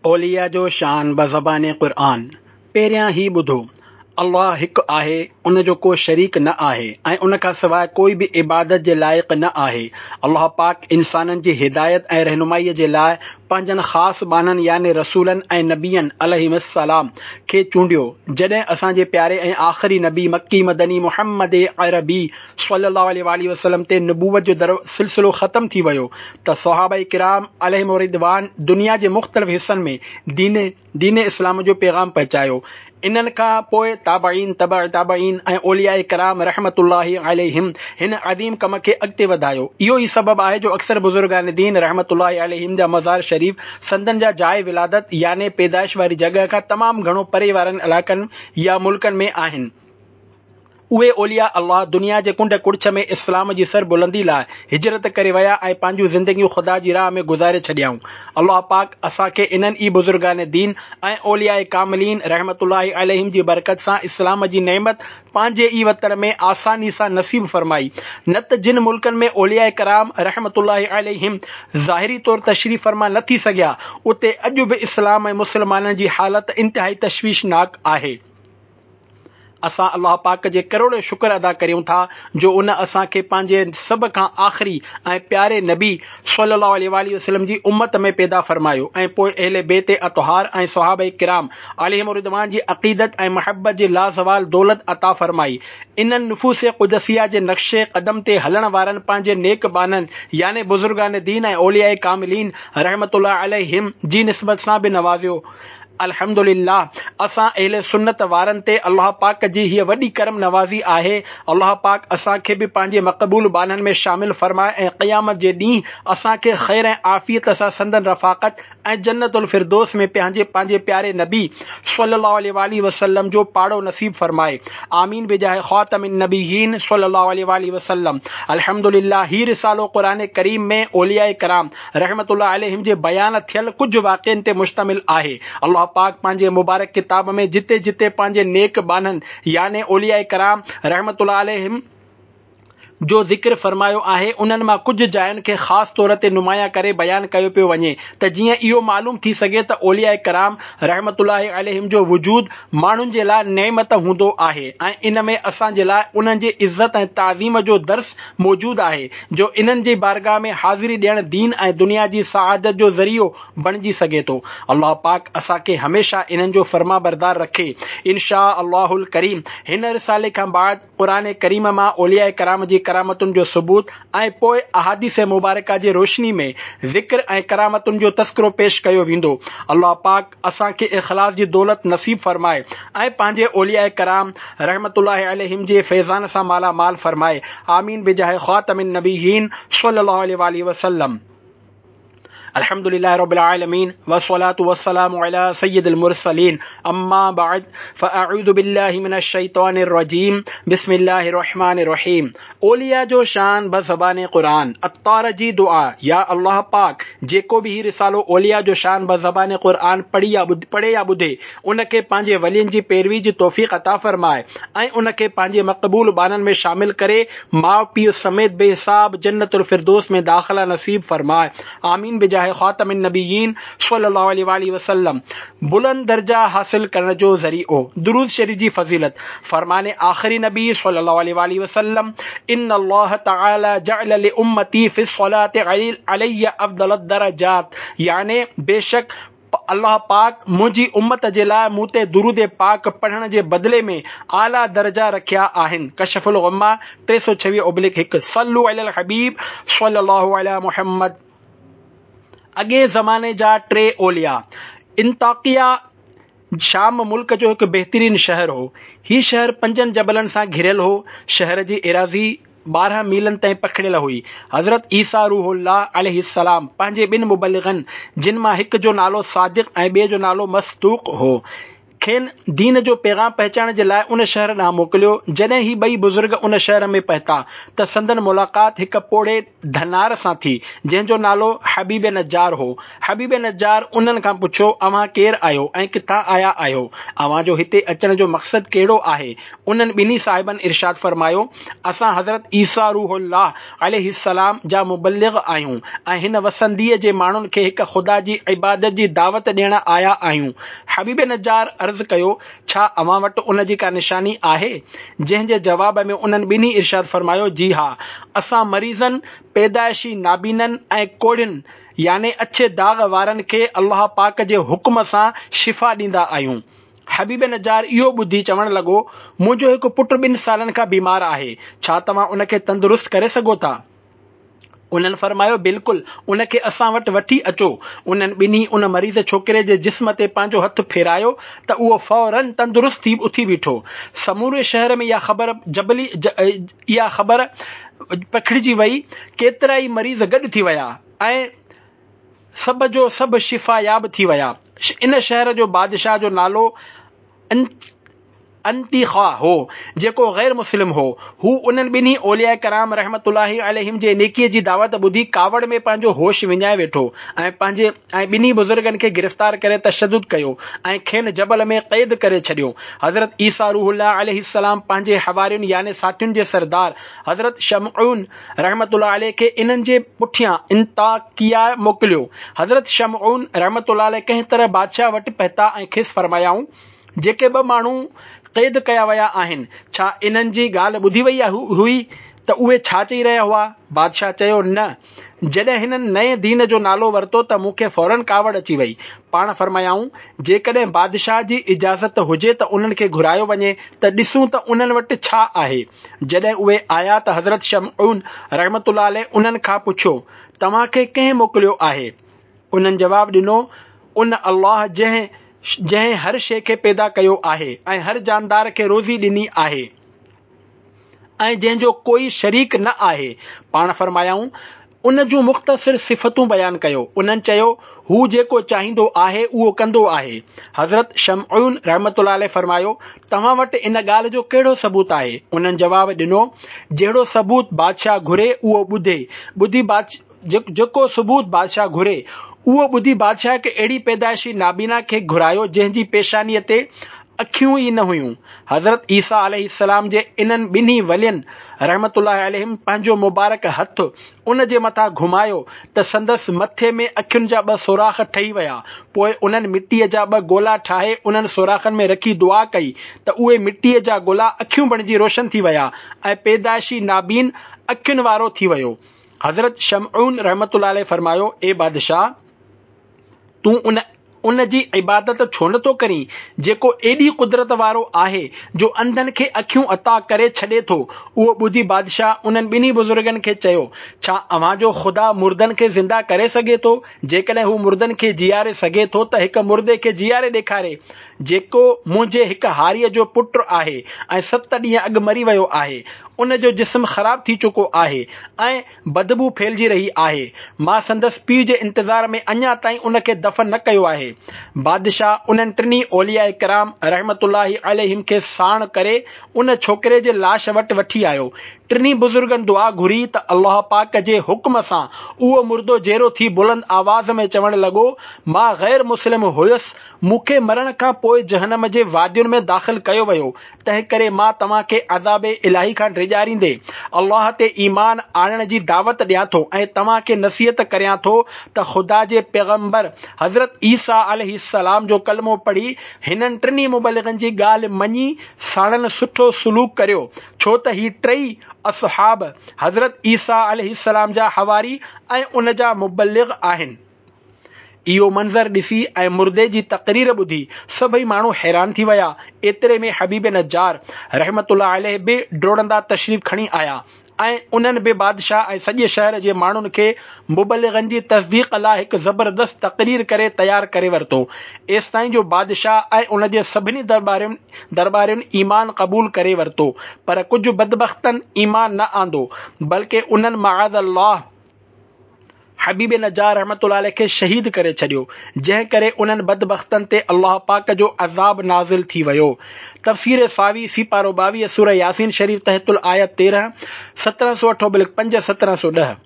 اولياء جو شان بزبان قرآن، پهريان هي ٻڌو، الله هڪ آهي، ان جو ڪو شريڪ نه آهي ۽ ان کان سواء ڪوئي به عبادت جي لائق نه آهي. الله پاڪ انسانن جي هدايت ۽ رهنمائيء جي لاء پنهنجن خاص ٻانهن يعني رسولن ۽ نبين عليهم السلام کي چونڊيو. جڏهن اسان جي پياري ۽ آخري نبي مڪي مدني محمد عربي صلّي الله عليه واٰله وسلّم تي نبوت جو در سلسلو ختم ٿي ويو ته صحابه ڪرام عليهم الرضوان دنيا جي مختلف حصن ۾ دين دين اسلام جو پيغام پهچايو. انهن کان پوء تابعين، تبع تابعين ۽ اولياء ڪرام رحمة الله عليهم هن عظيم ڪم کي اڳتي وڌايو. اهو ئي سبب آهي جو اڪثر بزرگان دين رحمة الله عليهم جا مزار شريف سندن جا جاء ولادت يعني پيدائش واري جڳهه کان تمام گهڻو پري وارن علائقن يا ملڪن ۾ آهن. اهي اولياء الله دنيا جي ڪنڊ ڪڙڇ ۾ اسلام جي سر بلندي لاء هجرت ڪري ويا ۽ پنهنجون زندگيون خدا جي راهه ۾ گذاري ڇڏيائون. الله پاڪ اسان کي انهن ئي بزرگان دين ۽ اولياء ڪاملين رحمة الله عليهم جي برڪت سان اسلام جي نعمت پنهنجي ئي وطن ۾ آساني سان نصيب فرمائي نه ته جن ملڪن ۾ اولياء ڪرام رحمة الله عليهم ظاهري طور تشريف فرما نه ٿي سگهيا اتي اڄ به اسلام ۽ مسلمانن جي حالت انتهائي تشويشناڪ آهي. اسان الله پاڪ جي ڪروڙين شڪر ادا ڪريون ٿا جو ان اسان کي پنهنجي سڀ کان آخري ۽ پياري نبي صلي الله عليه واٰله وسلم جي امت ۾ پيدا فرمايو ۽ پوء اهل بيت اطهار ۽ صحابه ڪرام عليهم الرضوان جي عقيدت ۽ محبت جي لازوال دولت عطا فرمائي. انهن نفوس قدسيه جي نقش قدم تي هلڻ وارن پنهنجي نيڪ ٻانهن يعني بزرگان دين ۽ اولياء ڪاملين رحمة الله عليهم جي نسبت سان به نوازيو. الحمد لله اسان اهل سنت وارن تي الله پاڪ جي هيء وڏي ڪرم نوازي آهي. الله پاڪ اسان کي به پنهنجي مقبول ٻانهن ۾ شامل فرمائي ۽ قيامت جي ڏينهن اسان کي خير ۽ عافيت سان سندن رفاقت ۽ جنت الفردوس ۾ پنهنجي پنهنجي پياري نبي صلي الله عليه واٰله وسلم جو پاڙو نصيب فرمائي آمين بجاه خاتم النبيين صلي الله عليه واٰله وسلم الحمد لله هي رسالو قرآن ڪريم ۾ اولياء ڪرام رحمة الله عليهم جي بيان ٿيل ڪجهه واقعن تي مشتمل آهي. الله پاڪ پنهنجي مبارڪ ڪتاب ۾ جتي جتي پنهنجي نيڪ ٻانهن يعني اولياء ڪرام رحمة الله عليهم جو ذڪر فرمايو آهي انهن مان ڪجهه جاين کي خاص طور تي نمايان ڪري بيان ڪيو پيو وڃي ته جيئن اهو معلوم ٿي سگهي ته اولياء ڪرام رحمة الله عليهم جو وجود ماڻهن جي لاء نعمت هوندو آهي ۽ ان ۾ اسان جي لاء انهن جي عزت ۽ تعظيم جو درس موجود آهي جو انهن جي بارگاهه ۾ حاضري ڏيڻ دين ۽ دنيا جي سعادت جو ذريعو بڻجي سگهي ٿو. الله پاڪ اسان کي هميشه انهن جو فرمانبردار رکي. ان شاء الله الڪريم هن رسالي کان بعد قرآن ڪريم مان اولياء ڪرام جي ڪرامتن جو ثبوت ۽ پوء احاديث مبارڪه جي روشني ۾ ذڪر ۽ ڪرامتن جو تذڪرو پيش ڪيو ويندو. الله پاڪ اسان کي اخلاص جي دولت نصيب فرمائي ۽ پنهنجي اولياء ڪرام رحمة الله عليهم جي فيضان سان مالا مال فرمائي آمين بجاه خاتم النبيين صلي الله عليه واٰله وسلم الحمد لله رب العالمين والصلاة والسلام على سيد المرسلين اما بعد فاعوذ بالله من الشيطان الرجيم بسم الله الرحمن الرحيم اولياء جو شان بزبان قرآن، عطار جي دعا، يا الله پاڪ! جيڪو به هي رسالو اولياء جو شان بزبان قرآن پڙهي يا پڙهي يا ٻڌي، ان کي پنهنجي ولين جي پيروي جي توفيق عطا فرماء ۽ ان کي پنهنجي مقبول ٻانهن ۾ شامل ڪري ماء پيء سميت بي حساب جنت الفردوس ۾ داخلا نصيب فرماء. آمين بجاه خاتم النبيين صلي الله عليه واٰله وسلم. بلند درجا حاصل ڪرڻ جو ذريعو درود شريف جي فضيلت فرمان آخري نبي صلي الله عليه واٰله وسلم ان الله تعالي جعل لامتي في الصلاه علي افضل الدرجات يعني بيشڪ الله پاڪ منهنجي امت جي لاء مون تي درود پاڪ پڙهڻ جي بدلي ۾ اعليٰ درجا رکيا آهن ڪشف الغمه 326/1 صلو علي الحبيب صلي الله علي محمد اڳئين زماني جا ٽي اولياء. انطاڪيه شام ملڪ جو هڪ بهترين شهر هو. هي شهر پنجن جبلن سان گهريل هو. شهر جي ايراضي 12 ميلن تائين پکڙيل هئي. حضرت عيسيٰ روح الله عليه السلام پنهنجي ٻن مبلغن، جن مان هڪ جو نالو صادق ۽ ٻئي جو نالو مصدوق هو. کين دين جو پيغام پهچائڻ جي لاء ان شهر ڏانهن موڪليو. جڏهن هي ٻئي بزرگ ان شهر ۾ پهتا ته سندن ملاقات هڪ پوڙهي ڌنار سان ٿي، جنهن جو نالو حبيب نجار هو. حبيب نجار انهن کان پڇيو، اوهان ڪير آهيو ۽ ڪٿان آيا آهيو؟ اوهان جو هتي اچڻ جو مقصد ڪهڙو آهي؟ انهن ٻنهي صاحبن ارشاد فرمايو، اسان حضرت عيسيٰ روح الله عليه السلام جا مبلغ آهيون ۽ هن وسنديء جي ماڻهن کي هڪ خدا جي عبادت جي دعوت ڏيڻ آيا آهيون. حبيب نجار عرض ڪيو، ڇا اوهان وٽ ان جي ڪا نشاني آهي؟ جنهن جي جواب ۾ انهن ٻنهي ارشاد فرمايو، جي ها! اسان مريضن، پيدائشي نابينن ۽ ڪوڙهين يعني اڇي داغ وارن کي الله پاڪ جي حڪم سان شفا ڏيندا آهيون. حبيب نجار اهو ٻڌي چوڻ لڳو، منهنجو هڪ پٽ ٻن سالن کان بيمار آهي، ڇا توهان ان کي تندرست ڪري سگهو ٿا؟ انهن فرمايو، بلڪل، ان کي اسان وٽ وٺي اچو. انهن ٻنهي ان مريض ڇوڪري جي جسم تي پنهنجو هٿ ڦيرايو ته اهو فوراً تندرست ٿي اٿي بيٺو. سموري شهر ۾ اها خبر جبلي اها خبر پکڙجي وئي، ڪيترائي مريض گڏ ٿي ويا ۽ سڀ جو سڀ شفاياب ٿي ويا. ان شهر جو بادشاهه جو نالو انطيخه هو، جيڪو غير مسلم هو. هو انهن ٻنهي اولياء ڪرام رحمة الله عليهم جي نيڪيء جي دعوت ٻڌي ڪاوڙ ۾ پنهنجو هوش وڃائي ويٺو ۽ پنهنجي ۽ ٻنهي بزرگن کي گرفتار ڪري تشدد ڪيو ۽ کين جبل ۾ قيد ڪري ڇڏيو. حضرت عيسيٰ روح الله عليه السلام پنهنجي حوارين يعني ساٿين جي سردار حضرت شمعون رحمة الله عليه کي انهن جي پٺيان انطاڪيه موڪليو. حضرت شمعون رحمة الله عليه ڪنهن طرح بادشاهه وٽ پهتا ۽ کيس فرمايائون، جيڪي ٻه ماڻهو قيد ڪيا ويا آهن، ڇا انهن جي ڳالهه ٻڌي وئي هئي ته اهي ڇا چئي رهيا هئا؟ بادشاهه چيو، نه. جڏهن هنن نئين دين جو نالو ورتو ته مون کي فوراً ڪاوڙ اچي وئي. پاڻ فرمايائون، جيڪڏهن بادشاهه جي اجازت هجي ته انهن کي گهرايو وڃي ته ڏسون ته انهن وٽ ڇا آهي. جڏهن اهي آيا ته حضرت شمعون رحمة الله عليه انهن کان پڇيو، توهان کي ڪنهن موڪليو آهي؟ انهن جواب ڏنو، ان الله جنهن جنهن هر شيء کي پيدا ڪيو آهي ۽ هر جاندار کي روزي ڏني آهي ۽ جنهن جو ڪوئي شريڪ نه آهي. پاڻ فرمايائون، ان جون مختصر صفتون بيان ڪيو. انهن چيو، هو جيڪو چاهيندو آهي اهو ڪندو آهي. حضرت شمعون رحمة الله عليه فرمايو، توهان وٽ ان ڳالهه جو ڪهڙو ثبوت آهي؟ انهن جواب ڏنو، جهڙو ثبوت بادشاهه گهري اهو ٻڌي ٻڌي جيڪو ثبوت بادشاهه گهري، اهو ٻڌي بادشاهه هڪ اهڙي پيدائشي نابينا کي گهرايو، جنهن جي پيشانيء تي اکيون ئي نه هيون. حضرت عيسيٰ عليه السلام جي انهن ٻنهي ولين رحمة الله عليهم پنهنجو مبارڪ هٿ ان جي مٿان گهمايو ته سندس مٿي ۾ اکين جا ٻه سوراخ ٺهي ويا. پوء انهن مٽيء جا ٻه گولا ٺاهي انهن سوراخن ۾ رکي دعا ڪئي ته اهي مٽيء جا گولا اکيون بڻجي روشن ٿي ويا ۽ پيدائشي نابين اکين وارو ٿي ويو. حضرت شمعون رحمة الله عليه فرمايو، اي بادشاهه! تون ان ان جي عبادت ڇو نه ٿو ڪرين، جيڪو ايڏي قدرت وارو آهي، جو انڌن کي اکيون عطا ڪري ڇڏي ٿو؟ اهو ٻڌي بادشاهه انهن ٻنهي بزرگن کي چيو، ڇا اوهان جو خدا مردن کي زنده ڪري سگهي ٿو؟ جيڪڏهن هو مردن کي جيئاري سگهي ٿو ته هڪ مردي کي جيئاري ڏيکاري، جيڪو منهنجي هڪ هاريء جو پٽ آهي ۽ ست ڏينهن اڳ مري ويو آهي. ان جو جسم خراب ٿي چڪو آهي ۽ بدبو ڦهلجي رهي آهي. مان سندس پيء جي انتظار ۾ اڃا تائين ان کي دفن نه ڪيو آهي. بادشاهه انهن ٽنهي اولياء ڪرام رحمة الله عليهم کي ساڻ ڪري ان ڇوڪري جي لاش وٽ وٺي آيو. ٽنهي بزرگن دعا گهري ته الله پاڪ جي حڪم سان اهو مردو جيئرو ٿي بلند آواز ۾ چوڻ لڳو، مان غير مسلم هيس، مون کي مرڻ کان پوء جهنم جي وادين ۾ داخل ڪيو ويو، تنهنڪري مان توهان کي عذاب الاهي کان ڊيڄاريندي الله تي ايمان آڻڻ جي دعوت ڏيان ٿو ۽ توهان کي نصيحت ڪريان ٿو ته خدا جي پيغمبر حضرت عيسيٰ عليه السلام جو ڪلمو پڙهي هنن ٽنهي مبلغن جي ڳالهه مڃي ساڻن سٺو سلوڪ ڪريو ڇو ته هي ٽئي اصحاب حضرت عيسيٰ عليه السلام جا حواري ۽ ان جا مبلغ آهن. اهو منظر ڏسي ۽ مردي جي تقرير ٻڌي سڀئي ماڻهو حيران ٿي ويا. ايتري ۾ حبيب نجار رحمة الله عليه به ڊوڙندا تشريف کڻي آيا ۽ انهن به بادشاهه ۽ سڄي شهر جي ماڻهن کي مبلغن جي تصديق لاء هڪ زبردست تقرير ڪري تيار ڪري ورتو. ايستائين جو بادشاهه ۽ ان جي سڀني درٻارين درٻارين ايمان قبول ڪري ورتو پر ڪجهه بدبختن ايمان نه آندو بلڪه انهن معاذ الله! حبيب نجار رحمة الله عليه کي شهيد ڪري ڇڏيو، جنهن ڪري انهن بدبختن تي الله پاڪ جو عذاب نازل ٿي ويو. تفسير صاوي، سيپارو 22، سوره ياسين شريف تحت الآية 13، 1708 ابلڪ 5، 1710.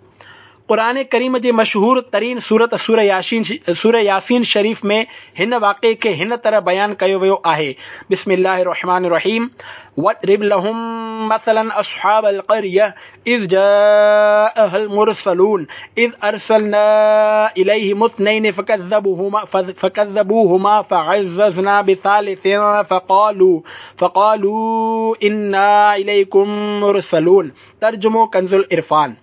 قرآن ڪريم جي مشهور ترين سورت سوره ياسين سوره ياسين شريف ۾ هن واقعي کي هن طرح بيان ڪيو ويو آهي، بسم الله الرحمٰن الرحيم واضرب لهم مثلا اصحاب القريه اذ جاءها المرسلون اذ ارسلنا اليهم اثنين فكذبوهما فكذبوهما فعززنا بثالث فقالوا فقالوا انا اليكم مرسلون ترجمو ڪنز العرفان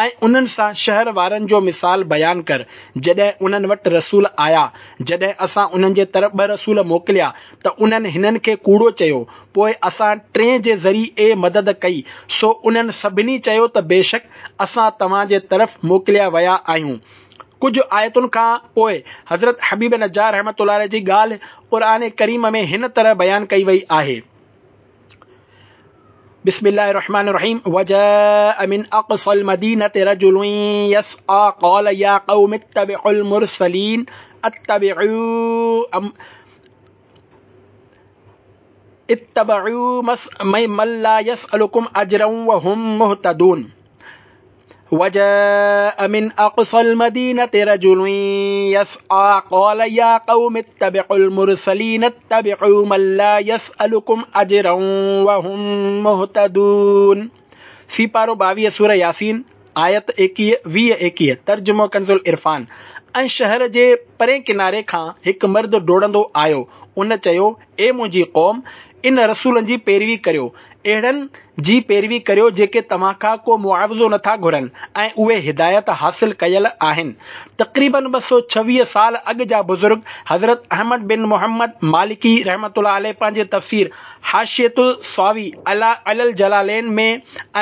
۽ انهن سان شهر وارن جو مثال بيان ڪر، جڏهن انهن وٽ رسول آيا، جڏهن اسان انهن جي طرف ٻه رسول موڪليا ته انهن هنن کي ڪوڙو چيو، پوء اسان ٽئين جي ذريعي مدد ڪئي، سو انهن سڀني چيو ته بيشڪ اسان توهان جي طرف موڪليا ويا آهيون. ڪجهه آيتن کان پوء حضرت حبيب نجار رحمة الله عليه جي ڳالهه قرآن ڪريم ۾ هن طرح بيان ڪئي وئي آهي. بسم الله الرحمن الرحيم وجاء من اقصى المدينه رجل يسعى قال يا قوم اتبعوا المرسلين اتبعوا أم اتبعوا من لا يسألكم اجرا وهم مهتدون وجاء من اقصى المدينه رجل يسعى قال يا قوم اتبعوا المرسلين اتبعوا من لا يسألكم اجرا وهم مهتدون سيپارو 22 سوره ياسين آيت 21 20 21 ترجمو ڪنز العرفان ۽ شهر جي پرئين ڪناري کان هڪ مرد ڊوڙندو آيو ان چيو اي منهنجي قوم ان رسولن جي پيروي ڪريو، اهڙن جي پيروي ڪريو جيڪي توهان کان ڪو معاوضو نٿا گهرن ۽ اهي هدايت حاصل ڪيل آهن. تقريباً 226 سال اڳ جا بزرگ حضرت احمد بن محمد مالڪي رحمة الله عليه پنهنجي تفسير حاشية الصاوي علي الجلالين ۾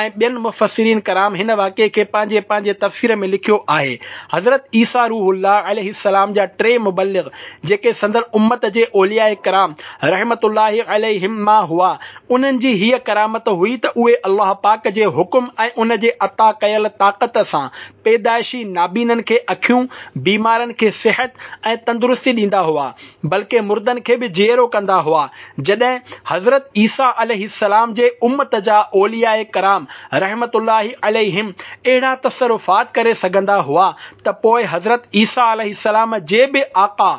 ۽ ٻين مفسرين ڪرام هن واقعي کي پنهنجي پنهنجي تفسير ۾ لکيو آهي. حضرت عيسيٰ روح الله عليه السلام جا ٽي مبلغ جيڪي سندن امت جي اولياء ڪرام رحمة الله عليهم مان هئا، انهن جي هيء ڪرامت هئي ته اهي الله پاڪ جي حڪم ۽ ان جي عطا ڪيل طاقت سان پيدائشي نابينن کي اکيون، بيمارن کي صحت ۽ تندرستي ڏيندا هئا، بلڪه مردن کي به جيئرو ڪندا هئا. جڏهن حضرت عيسيٰ عليه السلام جي امت جا اولياء ڪرام رحمة الله عليهم اهڙا تصرفات ڪري سگهندا هئا ته پوء حضرت عيسيٰ عليه السلام جي به آقا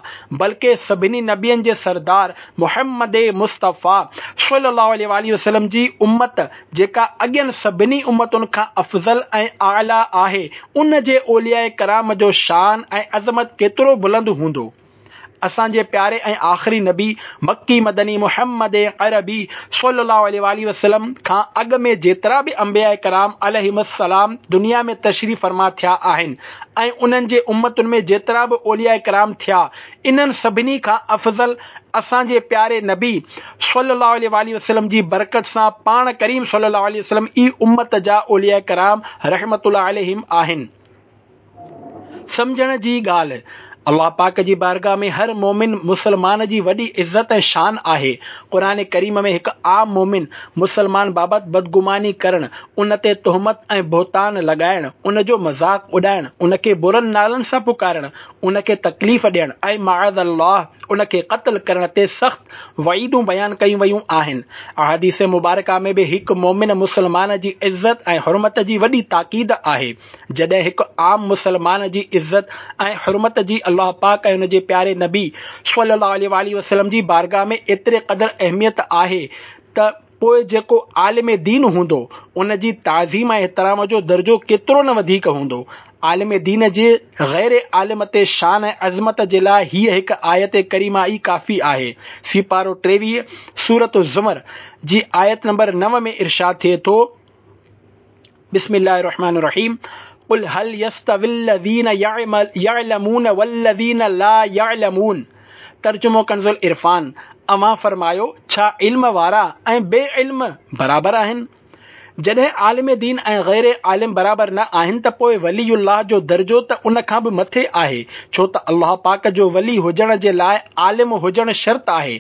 بلڪه سڀني نبين جي سردار محمد مصطفيٰ صلي الله عليه واٰله وسلم جي امت جيڪا اڳين سڀني امتن کان افضل ۽ اعليٰ آهي ان جي اولياء ڪرام جو شان ۽ عظمت ڪيترو بلند هوندو. اسان جي پياري ۽ آخري نبي مڪي مدني محمد عربي صلي الله عليه واٰله وسلم کان اڳ ۾ جيترا به انبياء ڪرام عليهم السلام دنيا ۾ تشريف فرما ٿيا آهن ۽ انهن جي امتن ۾ جيترا به اولياء ڪرام ٿيا انهن سڀني کان افضل اسان جي پياري نبي صلي الله عليه واٰله وسلم جي برڪت سان پاڻ ڪريم صلي الله عليه وسلم ئي امت جا اولياء ڪرام رحمة الله عليهم آهن. سمجهڻ جي ڳالهه، الله پاڪ جي بارگاهه ۾ هر مؤمن مسلمان جي وڏي عزت ۽ شان آهي. قرآن ڪريم ۾ هڪ عام مؤمن مسلمان بابت بدگماني ڪرڻ، ان تي تهمت ۽ بهتان لڳائڻ، ان جو مذاق اڏائڻ، ان کي برن نالن سان پڪارڻ، ان کي تڪليف ڏيڻ ۽ معاذ الله ان کي قتل ڪرڻ تي سخت وعيدون بيان ڪيون ويون آهن. احاديث مبارڪه ۾ به هڪ مؤمن مسلمان جي عزت ۽ حرمت جي وڏي تاڪيد آهي. جڏهن هڪ عام مسلمان جي عزت ۽ حرمت جي الله پاڪ ۽ ان جي پياري نبي صلي الله عليه واٰله وسلم جي بارگاهه ۾ ايتري قدر اهميت آهي ته پوء جيڪو عالم دين هوندو ان جي تعظيم ۽ احترام جو درجو ڪيترو نه وڌيڪ هوندو. عالم دين جي غير عالم تي شان ۽ عظمت جي لاء هيء هڪ آيت ڪريمه ئي ڪافي آهي. سيپارو 23 سورة الزمر جي آيت نمبر 9 ۾ ارشاد ٿئي ٿو. بسم الله الرحمن الرحيم قل هل يستوي الذين يعلمون والذين لا يعلمون ترجمو ڪنز العرفان اوهان فرمايو ڇا علم وارا ۽ بي علم برابر آهن؟ جڏهن عالم دين ۽ غير عالم برابر نه آهن ته پوء ولي الله جو درجو ته ان کان به مٿي آهي، ڇو ته الله پاڪ جو ولي هجڻ جي لاء عالم هجڻ شرط آهي.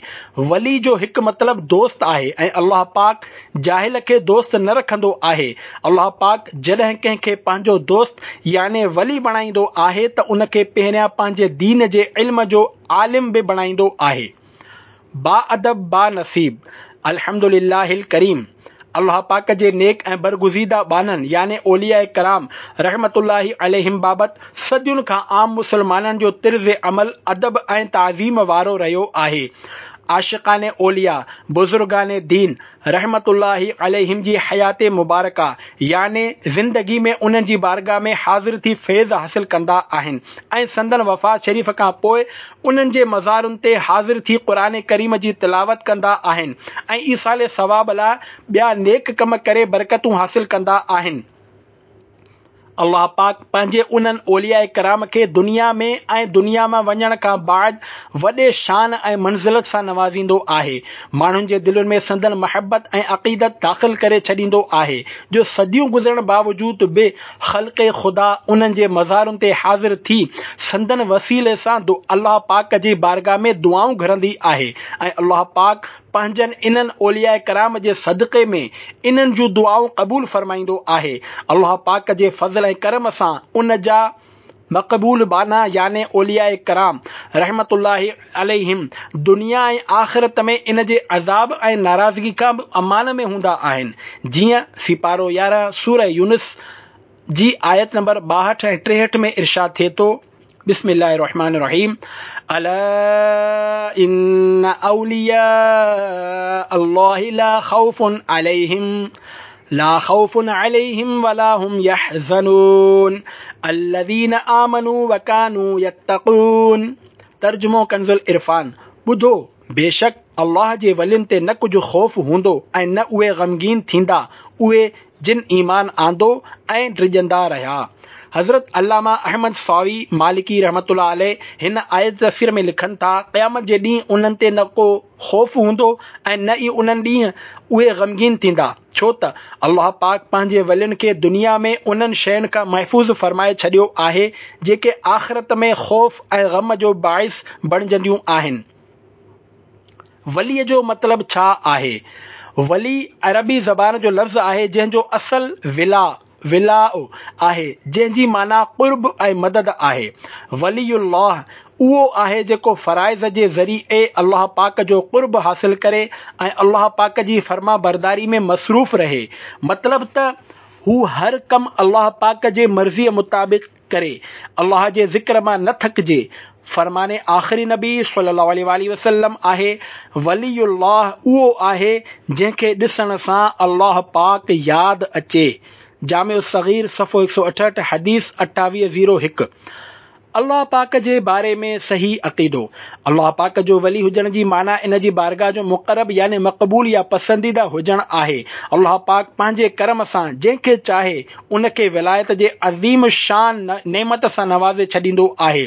ولي جو هڪ مطلب دوست آهي ۽ الله پاڪ جاهل کي دوست نه رکندو آهي. الله پاڪ جڏهن ڪنهن کي پنهنجو دوست يعني ولي بڻائيندو آهي ته ان کي پهريان پنهنجي دين جي علم جو عالم به بڻائيندو آهي. با ادب با نصيب الحمد لله الڪريم الله پاڪ جي نيڪ ۽ برگزيده ٻانهن يعني اولياء ڪرام رحمة الله عليهم بابت صدين کان عام مسلمانن جو طرز عمل ادب ۽ تعظيم وارو رهيو آهي. عاشقان اولياء، بزرگان دين رحمة الله عليهم جي حيات مبارڪه يعني زندگي ۾ انهن جي بارگاھ ۾ حاضر ٿي فيض حاصل ڪندا آهن ۽ سندن وفات شريف کان پوء انهن جي مزارن تي حاضر ٿي قرآن ڪريم جي تلاوت ڪندا آهن ۽ ايصال ثواب لاء ٻيا نيڪ ڪم ڪري برڪتون حاصل ڪندا آهن. الله پاڪ پنهنجي انهن اولياء ڪرام کي دنيا ۾ ۽ دنيا مان وڃڻ کان بعد وڏي شان ۽ منزلت سان نوازيندو آهي. ماڻهن جي دلين ۾ سندن محبت ۽ عقيدت داخل ڪري ڇڏيندو آهي جو صديون گذرڻ باوجود به خلق خدا انهن جي مزارن تي حاضر ٿي سندن وسيلي سان الله پاڪ جي بارگاھ ۾ دعائون گهرندي آهي ۽ الله پاڪ پنهنجن انهن اولياء ڪرام جي صدقي ۾ انهن جون دعائون قبول فرمائيندو آهي. الله پاڪ جي فضل ۽ ڪرم سان ان جا مقبول ٻانها يعني اولياء ڪرام رحمة الله عليهم دنيا ۽ آخرت ۾ ان جي عذاب ۽ ناراضگي کان به امان ۾ هوندا آهن. جيئن سيپارو 11 سوره يونس جي آيت نمبر 62 ۽ 63 ۾ ارشاد ٿئي ٿو، بسم الله الرحمن الرحيم الا ان اولياء الله لا خوف عليهم لا خوف عليهم ولا هم يحزنون الذين آمنوا وكانوا يتقون ترجمو ڪنز العرفان، ٻڌو، بيشڪ الله جي ولين تي نه ڪجهه خوف هوندو ۽ نه اهي غمگين ٿيندا، اهي جن ايمان آندو ۽ ڊڄندا رهيا. حضرت علامه احمد صاوي مالڪي رحمة الله عليه هن آيت جي تفسير ۾ لکن ٿا، قيامت جي ڏينهن انهن تي نه ڪو خوف هوندو ۽ نه ئي انهن ڏينهن اهي غمگين ٿيندا، ڇو ته الله پاڪ پنهنجي ولين کي دنيا ۾ انهن شين کان محفوظ فرمائي ڇڏيو آهي، جيڪي آخرت ۾ خوف ۽ غم جو باعث بڻجنديون آهن. ولي جو مطلب ڇا آهي؟ ولي عربي زبان جو لفظ آهي جنهن جو اصل ولا، ولاء، آهي جنهن جي معنيٰ قرب ۽ مدد آهي. ولي الله اهو آهي جيڪو فرائض جي ذريعي الله پاڪ جو قرب حاصل ڪري ۽ الله پاڪ جي فرمانبرداري ۾ مصروف رهي. مطلب ته هو هر ڪم الله پاڪ جي مرضيء مطابق ڪري، الله جي ذڪر مان نه ٿڪجي. فرمان آخري نبي صلي الله عليه واٰله وسلم آهي، ولي الله اهو آهي جنهن کي ڏسڻ سان الله پاڪ ياد اچي. جامع الصغير صفحو 168 حديث 2801. الله پاڪ جي باري ۾ صحيح عقيدو. الله پاڪ جو ولي هجڻ جي معنيٰ ان جي بارگاهه جو مقرب يعني مقبول يا پسنديده هجڻ آهي. الله پاڪ پنهنجي ڪرم سان جنهن کي چاهي ان کي ولايت جي عظيم الشان نعمت سان نوازي ڇڏيندو آهي.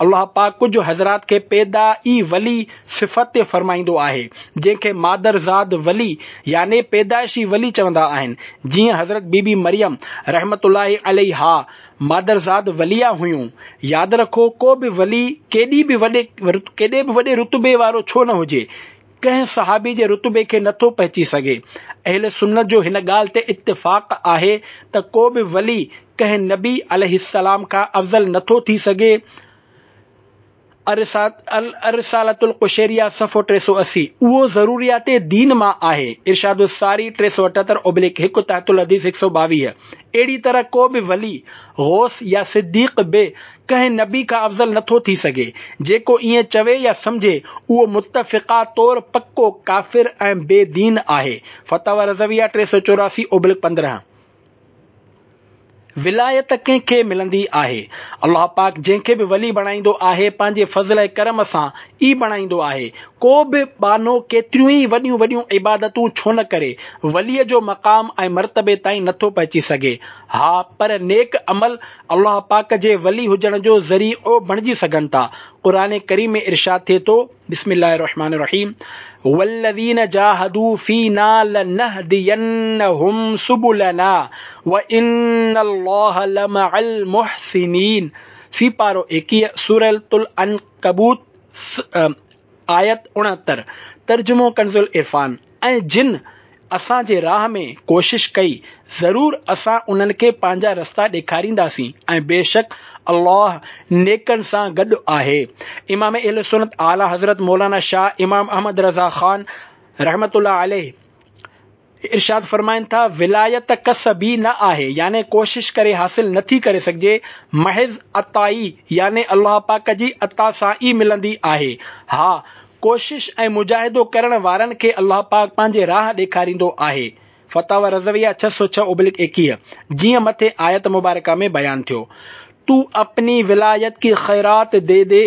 الله پاڪ ڪجهه حضرات کي پيدا ئي ولي صفت فرمائيندو آهي، جنهن کي مادر زاد ولي يعني پيدائشي ولي چوندا آهن، جيئن حضرت بي بي مريم رحمة الله عليها مادرزاد وليه هيون. ياد رکو ڪو به ولي ڪيڏي به وڏي ڪيڏي به وڏي رتبي وارو ڇو نه هجي، ڪنهن صحابي جي رتبي کي نٿو پهچي سگهي. اهل سنت جو هن ڳالهه تي اتفاق آهي ته ڪو به ولي ڪنهن نبي عليه السلام کان افضل نٿو ٿي سگهي. الرسالة القشيريه صفحو 380، اهو ضروريات دين مان آهي، ارشاد الساري 378/1 تحت الحديث 122، اهڙي طرح ڪو به ولي، غوث يا صديق به ڪنهن نبي کان افضل نٿو ٿي سگهي، جيڪو ائين چوي يا سمجهي اهو متفقه طور پڪو ڪافر ۽ بي دين آهي، فتاويٰ رضويه 384/15. ولايت ڪنهن کي ملندي آهي؟ الله پاڪ جنهن کي به ولي بڻائيندو آهي پنهنجي فضل ۽ ڪرم سان ئي بڻائيندو آهي. ڪو به ٻانهو ڪيتريون ئي وڏيون وڏيون عبادتون ڇو نه ڪري ولي جو مقام ۽ مرتبي تائين نٿو پهچي سگهي. ها پر نيڪ عمل الله پاڪ جي ولي هجڻ جو ذريعو بڻجي سگهن ٿا. قرآن ڪريم ۾ ارشاد ٿئي ٿو، بسم الله الرحمٰن الرحيم والذين جاهدوا فينا لنهدينهم سبلنا وان الله لمع المحسنين سيپارو 21 سورة العنڪبوت آيت 69 ترجمو ڪنزالعرفان ۽ جن اسان جي راهه ۾ ڪوشش ڪئي، ضرور اسان انهن کي پنهنجا رستا ڏيکارينداسين ۽ بيشڪ الله نيڪن سان گڏ آهي. امام اهل سنت اعليٰ حضرت مولانا شاهه امام احمد رضا خان رحمة الله عليه ارشاد فرمائن ٿا، ولايت ڪسبي نه آهي، يعني ڪوشش ڪري حاصل نه ٿي ڪري سگهجي، محض عطائي يعني الله پاڪ جي عطا سان ئي ملندي آهي. ها! ڪوشش ۽ مجاهدو ڪرڻ وارن کي الله پاڪ پنهنجي راهه ڏيکاريندو آهي. فتاويٰ رضويه 606/21، جيئن مٿي آيت مبارڪه ۾ بيان ٿيو. تو اپني ولايت ڪي خيرات the the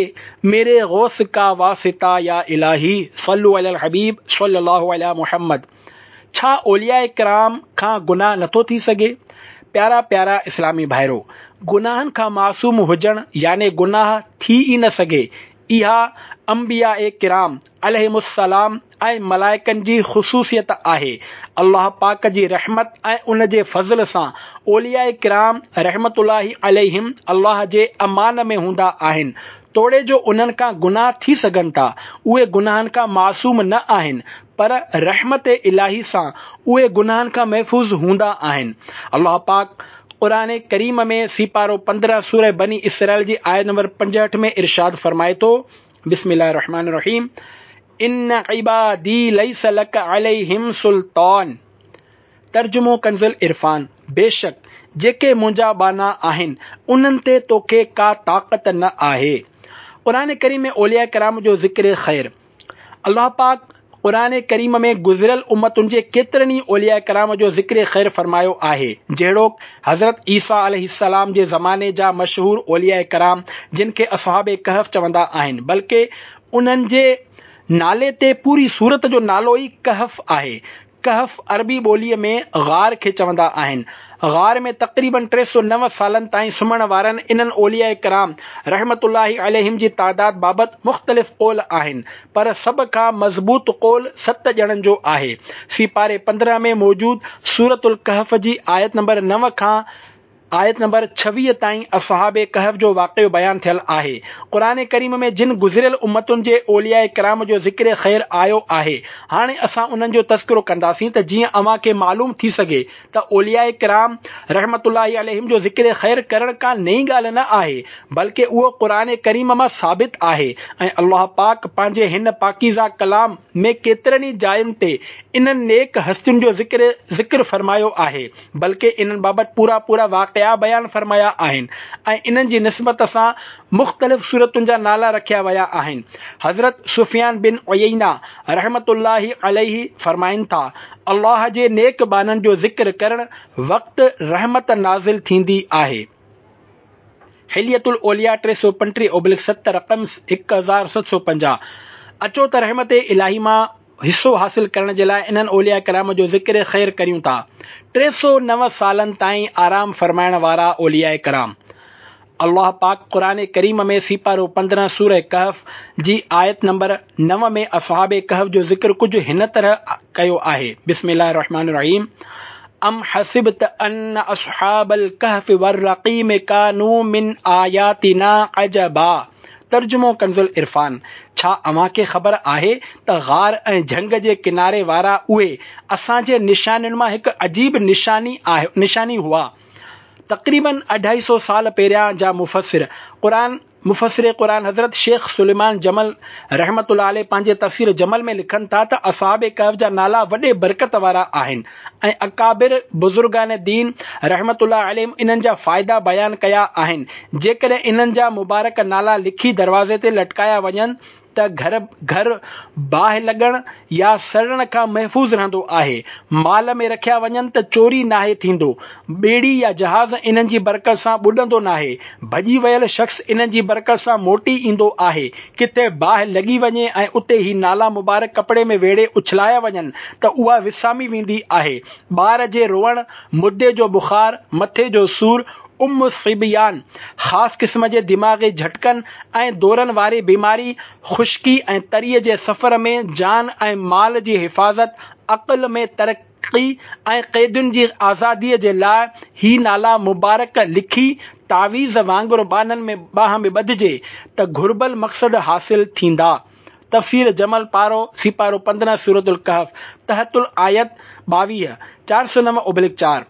ميري غوث ڪا واسطه يا الٰهي صلو علي الحبيب صلي الله علي محمد ڇا اولياء ڪرام کان گناهه نٿو ٿي سگهي؟ پيارا پيارا اسلامي ڀائرو! گناهن کان معصوم هجڻ يعني گناهه ٿي ئي نه سگهي اها انبياء ڪرام عليهم السلام ۽ ملائڪن جي خصوصيت آهي. الله پاڪ جي رحمت ۽ ان جي فضل سان اولياء ڪرام رحمة الله عليهم الله جي امان ۾ هوندا آهن. توڙي جو انهن کان گناهه ٿي سگهن ٿا، اهي گناهن کان معصوم نه آهن، پر رحمت الاهي سان اهي گناهن کان محفوظ هوندا آهن. الله پاڪ قرآن ڪريم ۾ سيپارو 15 سوره بني اسرائيل جي آيت نمبر 65 ۾ ارشاد فرمائي ٿو، بسم الله الرحمن الرحيم ان عبادي ليس لك عليهم سلطان ترجمو ڪنز العرفان بيشڪ جيڪي منهنجا ٻانها آهن انهن تي توکي ڪا طاقت نه آهي. قرآن ڪريم ۾ اولياء ڪرام جو ذڪر خير الله پاڪ قرآن ڪريم ۾ گذريل امتن جي ڪيترن ئي اولياء ڪرام جو ذڪر خير فرمايو آهي، جهڙوڪ، حضرت عيسيٰ عليه السلام جي زماني جا مشهور اولياء ڪرام جن کي اصحاب ڪهف چوندا آهن بلڪه انهن جي نالي تي پوري سورت جو نالو ئي ڪهف آهي. ڪهف عربي ٻوليء ۾ غار کي چوندا آهن. غار ۾ تقريباً 309 سالن تائين سمهڻ وارن انهن اولياء ڪرام رحمة الله عليهم جي تعداد بابت مختلف قول آهن، پر سڀ کان مضبوط قول ست ڄڻن جو آهي. سيپاري 15 ۾ موجود سورة الڪهف جي آيت نمبر 9 کان آيت نمبر 26 تائين اصحاب ڪهف جو واقعو بيان ٿيل آهي. قرآن ڪريم ۾ جن گذريل امتن جي اولياء ڪرام جو ذڪر خير آيو آهي، هاڻي اسان انهن جو تذڪرو ڪنداسين ته جيئن اوهان کي معلوم ٿي سگهي ته اولياء ڪرام رحمة الله عليهم جو ذڪر خير ڪرڻ ڪا نئين ڳالهه نه آهي، بلڪه اهو قرآن ڪريم مان ثابت آهي ۽ الله پاڪ پنهنجي هن پاڪيزه ڪلام ۾ ڪيترن ئي جاين تي انهن نيڪ هستين جو ذڪر ذڪر فرمايو آهي. بلڪه انهن بابت پورا پورا واقعا بيان فرمايا آهن ۽ انهن جي نسبت سان مختلف سورتن جا نالا رکيا ويا آهن. حضرت سفيان بن عيينه رحمة الله عليه فرمائن ٿا، الله جي نيڪ ٻانهن جو ذڪر ڪرڻ وقت رحمت نازل ٿيندي آهي. حلية الاولياء 335/7 رقم 1750 اچو ته رحمت الاهي مان حصو حاصل ڪرڻ جي لاء انهن اولياء ڪرام جو ذڪر خير ڪريون ٿا. 309 سالن تائين آرام فرمائڻ وارا اولياء ڪرام. الله پاڪ قرآن ڪريم ۾ سيپارو 15 سوره ڪهف جي آيت نمبر 9 ۾ اصحاب ڪهف جو ذڪر ڪجهه هن طرح ڪيو آهي، بسم الله الرحمٰن الرحيم ام حسبت ان اصحاب الڪهف والرقيم ڪانوا من آياتنا عجبا ترجمو ڪنزالعرفان، ڇا اوهان کي خبر آهي ته غار ۽ جهنگ جي ڪناري وارا اهي اسان جي نشانين مان هڪ عجيب نشاني نشاني هئا. تقريباً اڍائي سو سال پهريان جا مفسر قرآن مفسر قرآن حضرت شيخ سليمان جمل رحمة الله عليه پنهنجي تفسير جمل ۾ لکن ٿا ته اصحاب ڪهف جا نالا وڏي برڪت وارا آهن ۽ اڪابر بزرگان دين رحمة الله عليهم انهن جا فائدا بيان ڪيا آهن، جيڪڏهن انهن جا مبارڪ نالا لکي دروازي تي لٽڪايا وڃن ته گهر گهر باهه لڳڻ يا سڙڻ کان محفوظ رهندو آهي، مال ۾ رکيا وڃن ته چوري ناهي ٿيندو، ٻيڙي يا جهاز انهن جي برڪت سان ٻڏندو ناهي، ڀڄي ويل شخص انهن جي برڪت سان موٽي ايندو آهي، ڪٿي باهه لڳي وڃي ۽ اتي هي نالا مبارڪ ڪپڙي ۾ ويڙهي اڇلايا وڃن ته اها وسامي ويندي آهي. ٻار جي روئڻ، مدي جو بخار، مٿي جو سور، ام الصبيان، خاص قسم جي دماغي جهٽڪن ۽ دورن واري بيماري، خشڪي ۽ تريء جي سفر ۾ جان ۽ مال جي حفاظت، عقل ۾ ترقي ۽ قيدين جي آزاديء جي لاء هي نالا مبارڪ لکي تعويذ وانگر ٻانهن ۾ ٻانهن ۾ ٻڌجي ته گهربل مقصد حاصل ٿيندا. تفسير جمل پارو، سيپارو 15 سورة الڪهف، تحت الآيت 22، 409/4.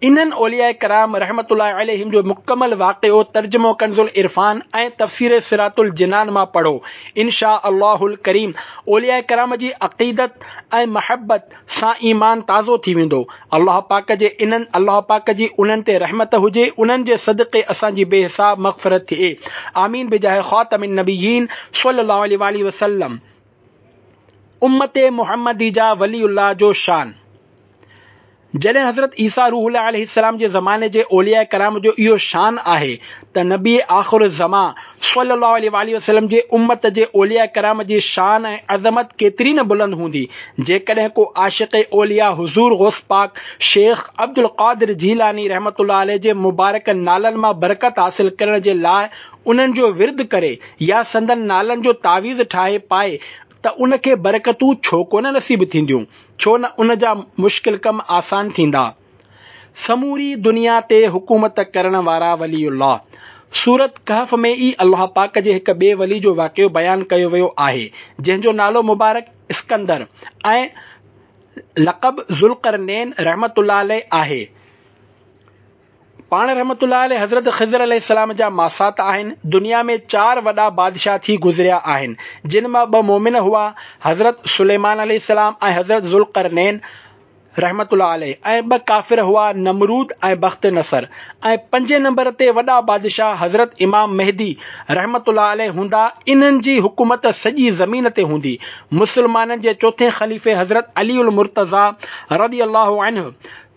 انهن اولياء ڪرام رحمة الله عليهم جو مڪمل واقعو ترجمو ڪنزالعرفان ۽ تفسير صراط الجنان مان پڙهو. ان شآء الله الڪريم اولياء ڪرام جي عقيدت ۽ محبت سان ايمان تازو ٿي ويندو. الله پاڪ جي انهن الله پاڪ جي انهن تي رحمت هجي انهن جي صدقي اسان جي بي حساب مغفرت ٿئي. آمين بجاه خاتم النبيين صلي الله عليه واٰله وسلم. امت محمدي جا ولي الله جو شان. جڏهن حضرت عيسيٰ روح الله عليه السلام جي زماني جي اولياء ڪرام جو اهو شان آهي ته نبي آخر الزمان صلي الله عليه واٰله وسلم جي امت جي اولياء ڪرام جي شان ۽ عظمت ڪيتري نه بلند هوندي جيڪڏهن ڪو عاشق اولياء حضور غوث پاڪ شيخ عبدالقادر جيلاني رحمة الله عليه جي مبارڪ نالن مان برڪت حاصل ڪرڻ جي لاء انهن جو ورد ڪري يا سندن نالن جو تعويذ ٺاهي پائي ته ان کي برڪتون ڇو ڪونه نصيب ٿينديون؟ ڇو نه ان جا مشڪل ڪم آسان ٿيندا. سموري دنيا تي حڪومت ڪرڻ وارا ولي الله. سورة ڪهف ۾ ئي الله پاڪ جي هڪ ٻئي ولي جو واقعو بيان ڪيو ويو آهي، جنهن جو نالو مبارڪ اسڪندر ۽ لقب ذوالقرنين رحمة الله عليه آهي. پاڻ رحمة الله عليه حضرت خضر عليه السلام جا ماسات آهن. دنيا ۾ چار وڏا بادشاهه ٿي گذريا آهن، جن مان ٻه مؤمن هئا، حضرت سليمان عليه السلام ۽ حضرت ذوالقرنين رحمة الله عليه ۽ ٻه ڪافر هئا نمرود ۽ بخت نصر ۽ پنجين نمبر تي وڏا بادشاهه حضرت امام مهدي رحمة الله عليه هوندا، انهن جي حڪومت سڄي زمين تي هوندي. مسلمانن جي چوٿين خليفي حضرت علي المرتضيٰ رضي الله عنه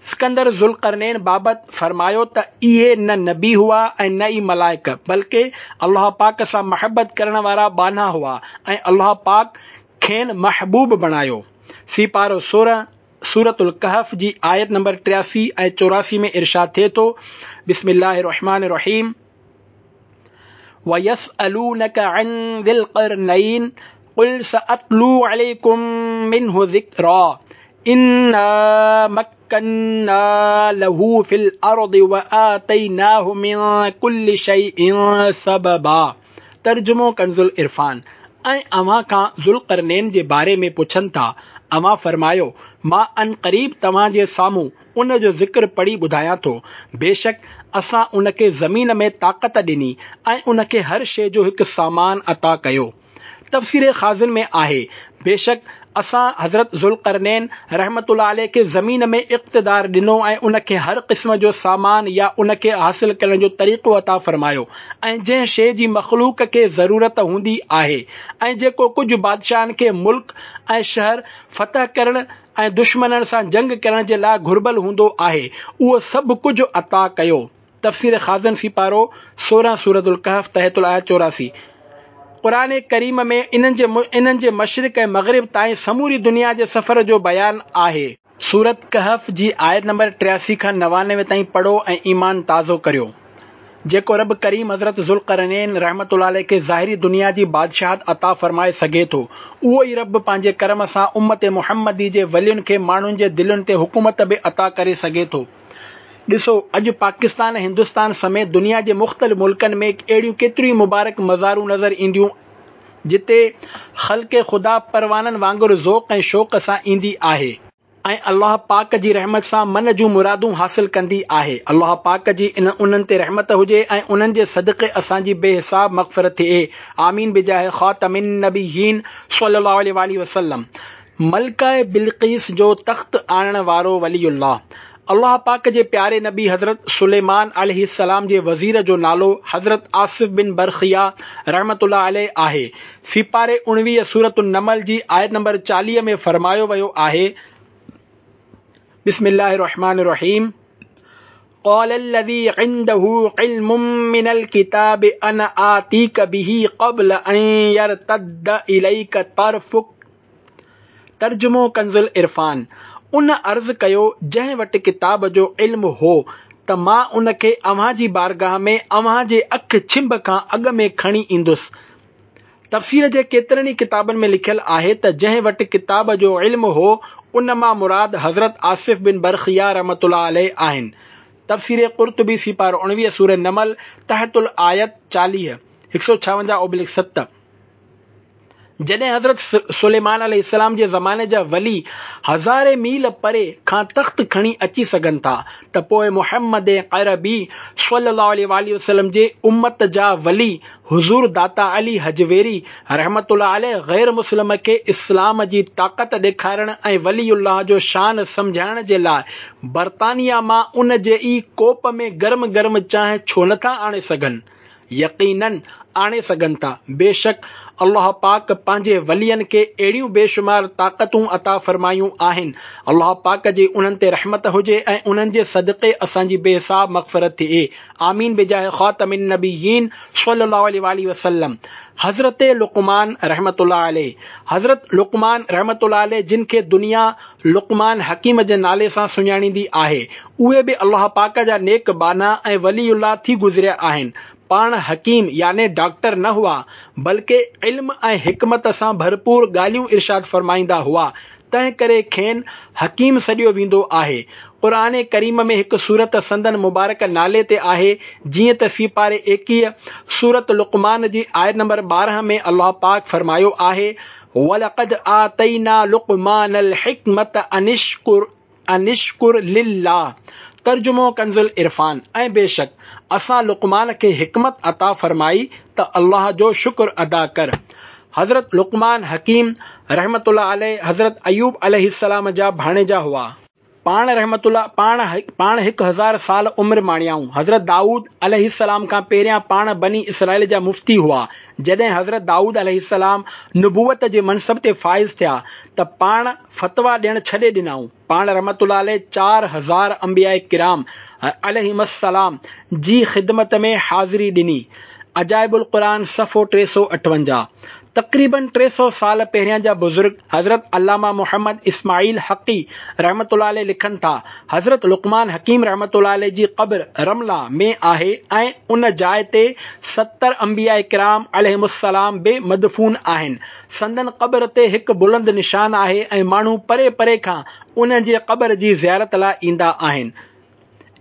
اسڪندر ذوالقرنين بابت فرمايو ته اهي نه نبي هئا ۽ نه ئي ملائڪ بلڪه الله پاڪ سان محبت ڪرڻ وارا ٻانها هئا ۽ الله پاڪ کين محبوب بڻايو. سيپارو 16 سورة الڪهف جي آيت نمبر 83 ۽ 84 ۾ ارشاد ٿئي ٿو، بسم الله الرحمٰن الرحيم. ويسألونك عن ذي القرنين قل سأتلو عليكم منه ذڪرا انا مڪنا له في الارض وآتيناه من ڪل شيء سببا ترجمو ڪنزالعرفان ۽ اوهان کان ذوالقرنين جي باري ۾ پڇن ٿا، اوهان فرمايو، مان عنقريب توهان جي سامهون ان جو ذڪر پڙهي ٻڌايان ٿو. بيشڪ اسان ان کي زمين ۾ طاقت ڏني ۽ ان کي هر شيء جو هڪ سامان عطا ڪيو. تفسير خازن ۾ آهي، بيشڪ اسان حضرت ذوالقرنين رحمة الله عليه کي زمين ۾ اقتدار ڏنو ۽ ان کي هر قسم جو سامان يا ان کي حاصل ڪرڻ جو طريقو عطا فرمايو ۽ جنهن شيء جي مخلوق کي ضرورت هوندي آهي ۽ جيڪو ڪجهه بادشاهن کي ملڪ ۽ شهر فتح ڪرڻ ۽ دشمنن سان جنگ ڪرڻ جي لاء گهربل هوندو آهي، اهو سڀ ڪجهه عطا ڪيو. تفسير خازن سيپارو 16 سورة الڪهف تحت الآية 84 قرآن ڪريم ۾ انهن جي انهن جي مشرق ۽ مغرب تائين سموري دنيا جي سفر جو بيان آهي. سورة ڪهف جي آيت نمبر 83 کان 99 تائين پڙهو ۽ ايمان تازو ڪريو. جيڪو رب ڪريم حضرت ذوالقرنين رحمة الله عليه کي ظاهري دنيا جي بادشاهت عطا فرمائي سگهي ٿو، اهو ئي رب پنهنجي ڪرم سان امت محمدي جي ولين کي ماڻهن جي دلين تي حڪومت به عطا ڪري سگهي ٿو. ڏسو، اڄ پاڪستان ۽ هندستان سميت دنيا جي مختلف ملڪن ۾ اهڙيون ڪيتريون ئي مبارڪ مزارون نظر اينديون جتي خلق خدا پروانن وانگر ذوق ۽ شوق سان ايندي آهي. ۽ الله پاڪ جي رحمت سان من جون مرادون حاصل ڪندي آهي. الله پاڪ جي انهن تي رحمت هجي ۽ انهن جي صدقي اسان جي بي حساب مغفرت ٿئي. آمين بجاه خاتم النبيين صلي الله عليه واٰله وسلم. ملڪه بلقيس جو تخت آڻڻ وارو ولي الله. الله پاڪ جي پياري نبي حضرت سليمان عليه السلام جي وزير جو نالو حضرت آصف بن برخيا رحمة الله عليه آهي. سيپاري 19 سورة النمل جي آيت نمبر 40 ۾ فرمايو ويو آهي، بسم الله الرحمن الرحيم قال الذي عنده علم من الكتاب انا آتيك به قبل ان يرتد اليك طرفك ترجمو ڪنزالعرفان، ان عرض ڪيو جنهن وٽ ڪتاب جو علم هو ته مان ان کي اوهان جي بارگاهه ۾ اوهان جي اک ڇنڀ کان اڳ ۾ کڻي ايندس. تفسير جي ڪيترن ئي ڪتابن ۾ لکيل آهي ته جنهن وٽ ڪتاب جو علم هو ان مان مراد حضرت آصف بن برخيا رحمة الله عليه آهن. تفسير قرطبي سيپارو 19 سوره نمل تحت الآيت 40، 156/7. جڏهن حضرت سليمان عليه السلام جي زماني جا ولي هزارين ميل پري کان تخت کڻي اچي سگهن ٿا ته پوء محمد عربي صلي الله عليه واٰله وسلم جي امت جا ولي حضور داتا علي هجويري رحمة الله عليه غير مسلم کي اسلام جي طاقت ڏيکارڻ ۽ ولي الله جو شان سمجهائڻ جي لاء برطانيه مان ان جي ئي ڪوپ ۾ گرم گرم چانهه ڇو نٿا آڻي سگهن؟ يقيناً آڻي سگهن ٿا. بيشڪ الله پاڪ پنهنجي ولين کي اهڙيون بيشمار طاقتون عطا فرمايون آهن. الله پاڪ جي انهن تي رحمت هجي ۽ انهن جي صدقي اسان جي بي حساب مغفرت ٿئي. آمين بجاه خاتم النبيين صلي الله عليه واٰله وسلم. حضرت لقمان رحمة الله عليه حضرت لقمان رحمة الله عليه جن کي دنيا لقمان حڪيم جي نالي سان سڃاڻيندي آهي، اهي به الله پاڪ جا نيڪ ٻانها ۽ ولي الله ٿي گذريا آهن. پاڻ حڪيم يعني ڊاڪٽر نه هئا، بلڪه علم ۽ حڪمت سان ڀرپور ڳالهيون ارشاد فرمائيندا هئا، تنهن ڪري کين حڪيم سڏيو ويندو آهي. قرآن ڪريم ۾ هڪ سورت سندن مبارڪ نالي تي آهي، جيئن ته سيپاري 21، سورت لقمان جي آيت نمبر 12 ۾ الله پاڪ فرمايو آهي، ولقد آتينا لقمان الحڪمة ان اشڪر ان اشڪر لله ترجمو ڪنز العرفان، ۽ بيشڪ اسان لقمان کي حڪمت عطا فرمائي ته الله جو شڪر ادا ڪر. حضرت لقمان حڪيم رحمة الله عليه حضرت ايوب عليه السلام جا ڀاڻيجا هئا. پاڻ رحمة الله پاڻ پاڻ هڪ هزار سال عمر ماڻيائون. حضرت دائود عليه السلام کان پهريان پاڻ بني اسرائيل جا مفتي هئا. جڏهن حضرت دائود عليه السلام نبوت جي منصب تي فائز ٿيا ته پاڻ فتويٰ ڏيڻ ڇڏي ڏنائون. پاڻ رحمة الله عليه 4000 انبياء ڪرام عليهم السلام جي خدمت ۾ حاضري ڏني. عجائب القرآن صفحو 358. تقريباً 300 سال پهريان جا بزرگ حضرت علامه محمد اسماعيل حقي رحمة الله عليه لکن ٿا، حضرت لقمان حڪيم رحمة الله عليه جي قبر رمله ۾ آهي ۽ ان جاء تي 70 انبياء ڪرام عليهم السلام به مدفون آهن. سندن قبر تي هڪ بلند نشان آهي ۽ ماڻهو پري پري کان انهن جي قبر جي زيارت لاء ايندا آهن.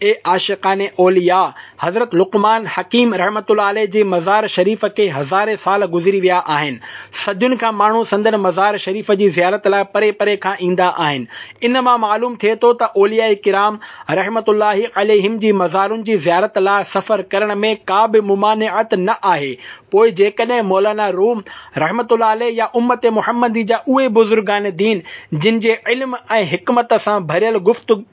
اي عاشقان اولياء! حضرت لقمان حڪيم رحمة الله عليه جي مزار شريف کي هزارين سال گذري ويا آهن. صدين کان ماڻهو سندن مزار شريف جي زيارت لاء پري پري کان ايندا آهن. ان مان معلوم ٿئي ٿو ته اولياء ڪرام رحمة الله عليهم جي مزارن جي زيارت لاء سفر ڪرڻ ۾ ڪا به ممانعت نه آهي. پوء جيڪڏهن مولانا روم رحمة الله عليه يا امت محمدي جا اهي بزرگان دين جن جي علم ۽ حڪمت سان ڀريل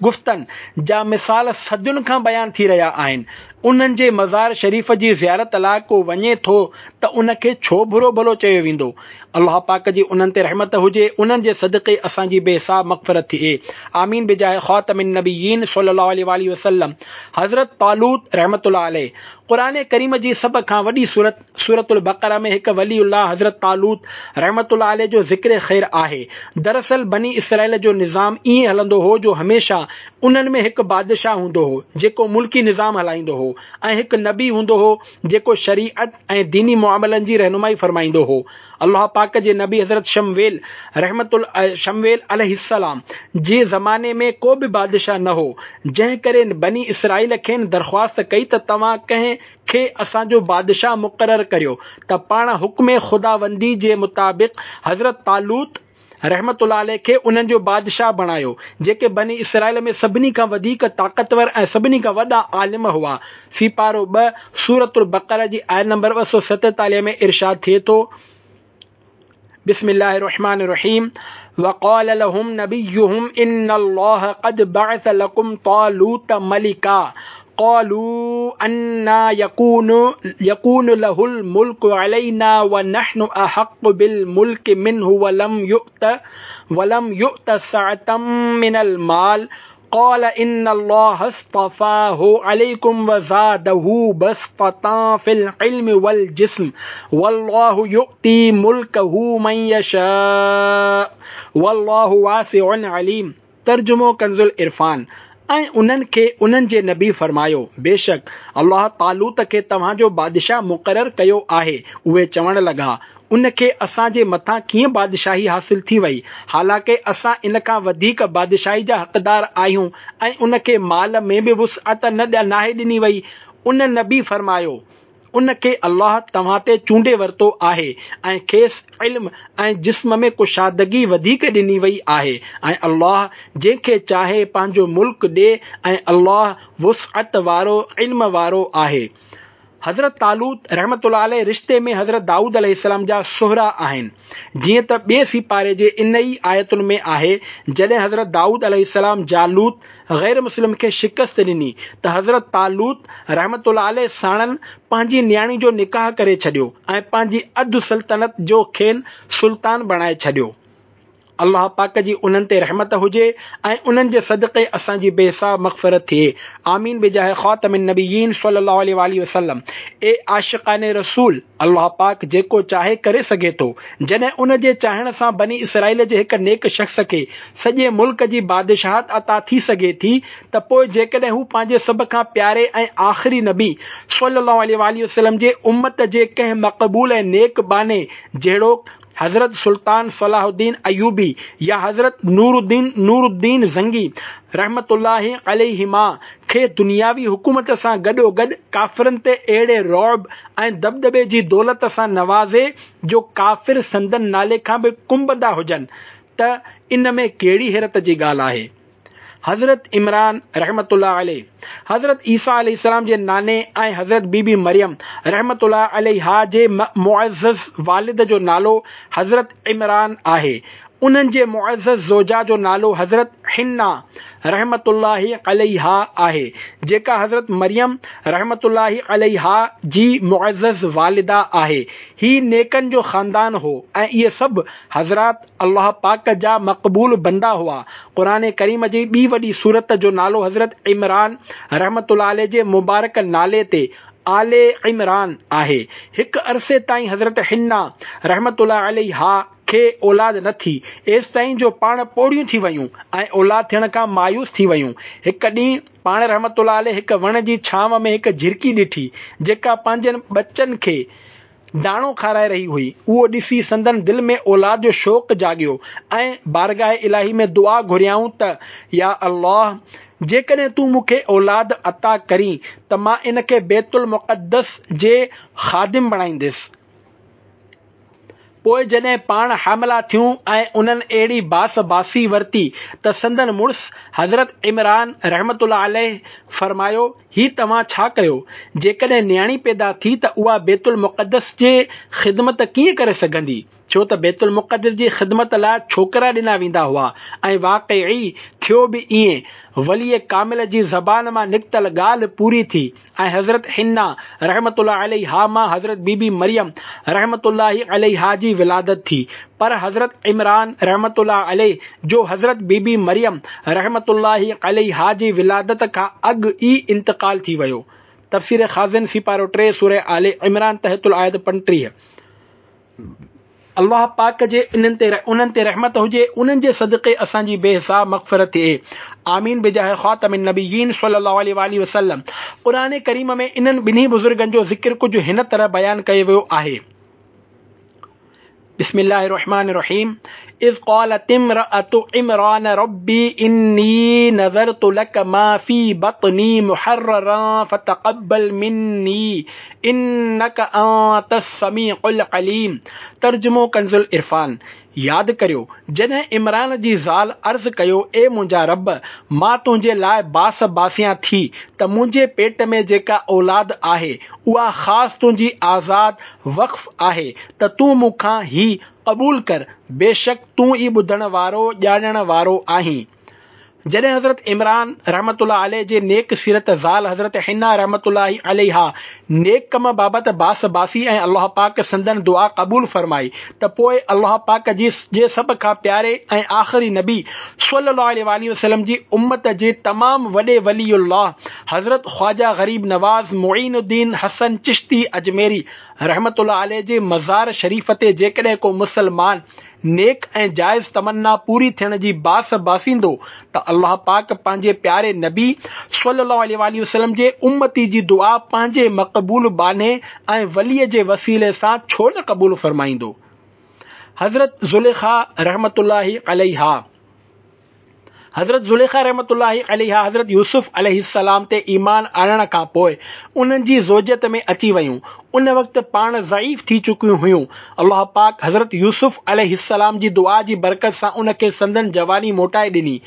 گفتن جا مثال صدين کان بيان ٿي رهيا آهن، انهن جي مزار شريف جي زيارت لاء ڪو وڃي ٿو ته ان کي ڇو برو ڀلو چيو ويندو؟ الله پاڪ جي انهن تي رحمت هجي، انهن جي صدقي اسان جي بي حساب مغفرت ٿئي. آمين بجاه خاتم النبيين صلي الله عليه واٰله وسلم. حضرت طالوت رحمة الله عليه قرآن ڪريم جي سڀ کان وڏي سورت سورة البقره ۾ هڪ ولي الله حضرت طالوت رحمة الله عليه جو ذڪر خير آهي. دراصل بني اسرائيل جو نظام ائين هلندو هو جو هميشه انهن ۾ هڪ بادشاهه هوندو هو جيڪو ملڪي نظام هلائيندو هو ۽ هڪ نبي هوندو هو جيڪو شريعت ۽ ديني معاملن جي رهنمائي فرمائيندو هو. الله پاڪ جي نبي حضرت شمويل رحمة شمويل عليه السلام جي زماني ۾ ڪو به بادشاهه نه هو جنهن ڪري بني اسرائيل کين درخواست ڪئي ته توهان ڪنهن کي اسان جو بادشاهه مقرر ڪريو ته پاڻ حڪم خداوندي جي مطابق حضرت طالوت رحمة الله عليه کي انهن جو بادشاهه بڻايو، جيڪي بني اسرائيل ۾ سڀني کان وڌيڪ طاقتور ۽ سڀني کان وڏا عالم هئا. سيپارو 2، سورة البقره جي آيت نمبر 247 ۾ ارشاد ٿئي ٿو. بسم الله الرحمن الرحيم وقال لهم نبيهم ان الله قد بعث لكم طالوت ملكا قالوا أنى يكون له الملك علينا ونحن أحق بالملك منه ولم يؤت سعة من المال قال ان الله اصطفاه عليكم وزاده بسطة في العلم والجسم والله يؤتي ملكه من يشاء والله واسع عليم ترجمو ڪنز العرفان ۽ انهن کي انهن جي نبي فرمايو، بيشڪ الله طالوت کي توهان جو بادشاهه مقرر ڪيو آهي. اهي چوڻ لڳا، ان کي اسان جي مٿان ڪيئن بادشاهي حاصل ٿي وئي، حالانڪه اسان ان کان وڌيڪ بادشاهي جا حقدار آهيون ۽ ان کي مال ۾ به وسعت نه ناهي ڏني وئي. ان نبي فرمايو. ان کي الله توهان تي چونڊي ورتو آهي ۽ کيس علم ۽ جسم ۾ ڪشادگي وڌيڪ ڏني وئي آهي ۽ الله جنهن کي چاهي پنهنجو ملڪ ڏي ۽ الله وسعت وارو علم وارو آهي. حضرت طالوت رحمة الله عليه رشتي ۾ حضرت دائود عليه السلام جا سهرا آهن. جيئن ته ٻئي سيپاري جي ان ئي آيتن ۾ آهي، جڏهن حضرت دائود عليه السلام جالوت، غير مسلم کي شڪست ڏني ته حضرت طالوت رحمة الله عليه ساڻن پنهنجي نياڻي جو نڪاح ڪري ڇڏيو ۽ پنهنجي اڌ سلطنت جو کين سلطان بڻائي ڇڏيو. الله پاڪ جي انهن تي رحمت هجي ۽ انهن جي صدقي اسان جي بي حساب مغفرت ٿئي آمين بجاه خاتم النبيين صلي الله عليه واٰله وسلم اي عاشقان رسول الله پاڪ جيڪو چاهي ڪري سگهي ٿو جڏهن ان جي چاهڻ سان بني اسرائيل جي هڪ نيڪ شخص کي سڄي ملڪ جي بادشاهت عطا ٿي سگهي ٿي ته پوء جيڪڏهن هو پنهنجي سڀ کان پياري ۽ آخري نبي صلي الله عليه واٰله وسلم جي امت جي ڪنهن مقبول ۽ نيڪ ٻانهي جهڙوڪ حضرت سلطان صلاح الدين ايوبي يا حضرت نور الدين نور الدين زنگي رحمة الله عليهما کي دنياوي حڪومت سان گڏوگڏ ڪافرن تي اهڙي رعب ۽ دٻدٻي جي دولت سان نوازي جو ڪافر سندن نالي کان به ڪنبندا هجن ته ان ۾ ڪهڙي حيرت جي ڳالهه آهي. حضرت عمران رحمة الله عليه حضرت عيسيٰ عليه السلام جي ناني ۽ حضرت بي بي مريم رحمة الله عليها جي معزز والد جو نالو حضرت عمران آهي. انهن جي معزز زوجه جو نالو حضرت حنه رحمة الله عليها آهي، جيڪا حضرت مريم رحمة الله عليها جي معزز والده آهي. هي نيڪن جو خاندان هو ۽ اهي سڀ حضرات الله پاڪ جا مقبول بندا هئا. قرآن ڪريم جي ٻي وڏي سورت جو نالو حضرت عمران رحمة الله عليه جي مبارڪ نالي تي آل عمران آهي. هڪ عرصي تائين حضرت حنه رحمة الله عليها کي اولاد نه ٿي، ايستائين جو پاڻ پوڙهيون ٿي ويون ۽ اولاد ٿيڻ کان مايوس ٿي ويون. هڪ ڏينهن پاڻ رحمة الله عليه هڪ وڻ جي ڇانو ۾ هڪ جهرڪي ڏٺي، جيڪا پنهنجن ٻچن کي داڻو کارائي رهي هئي، اهو ڏسي سندن دل ۾ اولاد جو شوق جاڳيو ۽ بارگاهه الاهي ۾ دعا گهريائون ته يا الله! جيڪڏهن تون مون کي اولاد عطا ڪرين ته مان ان کي بيت المقدس جي خادم بڻائيندس. پوء جڏهن پاڻ حامله ٿيون ۽ انهن اهڙي باس باسي ورتي ته سندن مڙس حضرت عمران رحمة الله عليه فرمايو، هي توهان ڇا ڪيو؟ جيڪڏهن نياڻي پيدا ٿي ته اها بيت المقدس جي خدمت ڪيئن ڪري سگهندي؟ ڇو ته بيت المقدس جي خدمت لاء ڇوڪرا ڏنا ويندا هئا ۽ واقعي ٿيو به ائين، ولي ڪامل جي زبان مان نڪتل ڳالهه پوري ٿي. ۽ حضرت حنه رحمة الله عليها مان حضرت بي بي مريم رحمة الله عليها جي ولادت ٿي پر حضرت عمران رحمة الله عليه جو حضرت بي بي مريم رحمة الله عليها جي ولادت کان اڳ ئي انتقال ٿي ويو. تفسير خازن سيپارو 3 سوره آل عمران تحت الآيت 35. الله پاڪ جي انهن تي انهن تي رحمت هجي انهن جي صدقي اسان جي بي حساب مغفرت ٿئي آمين بجاه خاتم النبيين صلي الله عليه واٰله وسلم قرآن ڪريم ۾ انهن ٻنهي بزرگن جو ذڪر ڪجهه هن طرح بيان ڪيو ويو آهي بسم الله الرحمن الرحيم اذ قالت امرأة عمران ربي اني نذرت لك ما في بطني محررا فتقبل مني انک انت السميع العليم ترجمو ڪنزالعرفان، ياد ڪريو، جڏهن عمران جي زال عرض ڪيو اي منهنجا رب! مان تنهنجي لاء باس باسيان ٿي ته منهنجي پيٽ ۾ جيڪا اولاد آهي اها خاص تنهنجي آزاد وقف آهي ته تون مون کان هي قبول ڪر، بيشڪ تون ئي ٻڌڻ وارو ڄاڻڻ وارو آهين. جڏهن حضرت عمران رحمة الله عليه جي نيڪ سيرت زال حضرت حنه رحمة الله عليها نيڪ ڪم بابت باس باسي ۽ الله پاڪ سندن دعا قبول فرمائي ته پوء الله پاڪ جي جي سڀ کان پياري ۽ آخري نبي صلي الله عليه واٰله وسلم جي امت جي تمام وڏي ولي الله حضرت خواجه غريب نواز معين الدين حسن چشتي اجميري رحمة الله عليه جي مزار شريف تي جيڪڏهن ڪو مسلمان نيڪ ۽ جائز تمنا پوري ٿيڻ جي باس باسيندو ته الله پاڪ پنهنجي پياري نبي صلّي الله عليه واٰله وسلّم جي امتي جي دعا پنهنجي مقبول ٻانهي ۽ ولي جي وسيلي سان ڇو نه قبول فرمائيندو؟ حضرت زليخا رحمة الله عليها. حضرت زليخا رحمة الله عليها حضرت يوسف عليه السلام تي ايمان آڻڻ کان پوء انهن جي زوجيت ۾ اچي ويون. ان وقت پاڻ ضعيف ٿي چڪيون هيون. الله پاڪ حضرت يوسف عليه السلام جي دعا جي برڪت سان ان کي سندن جواني موٽائي ڏني.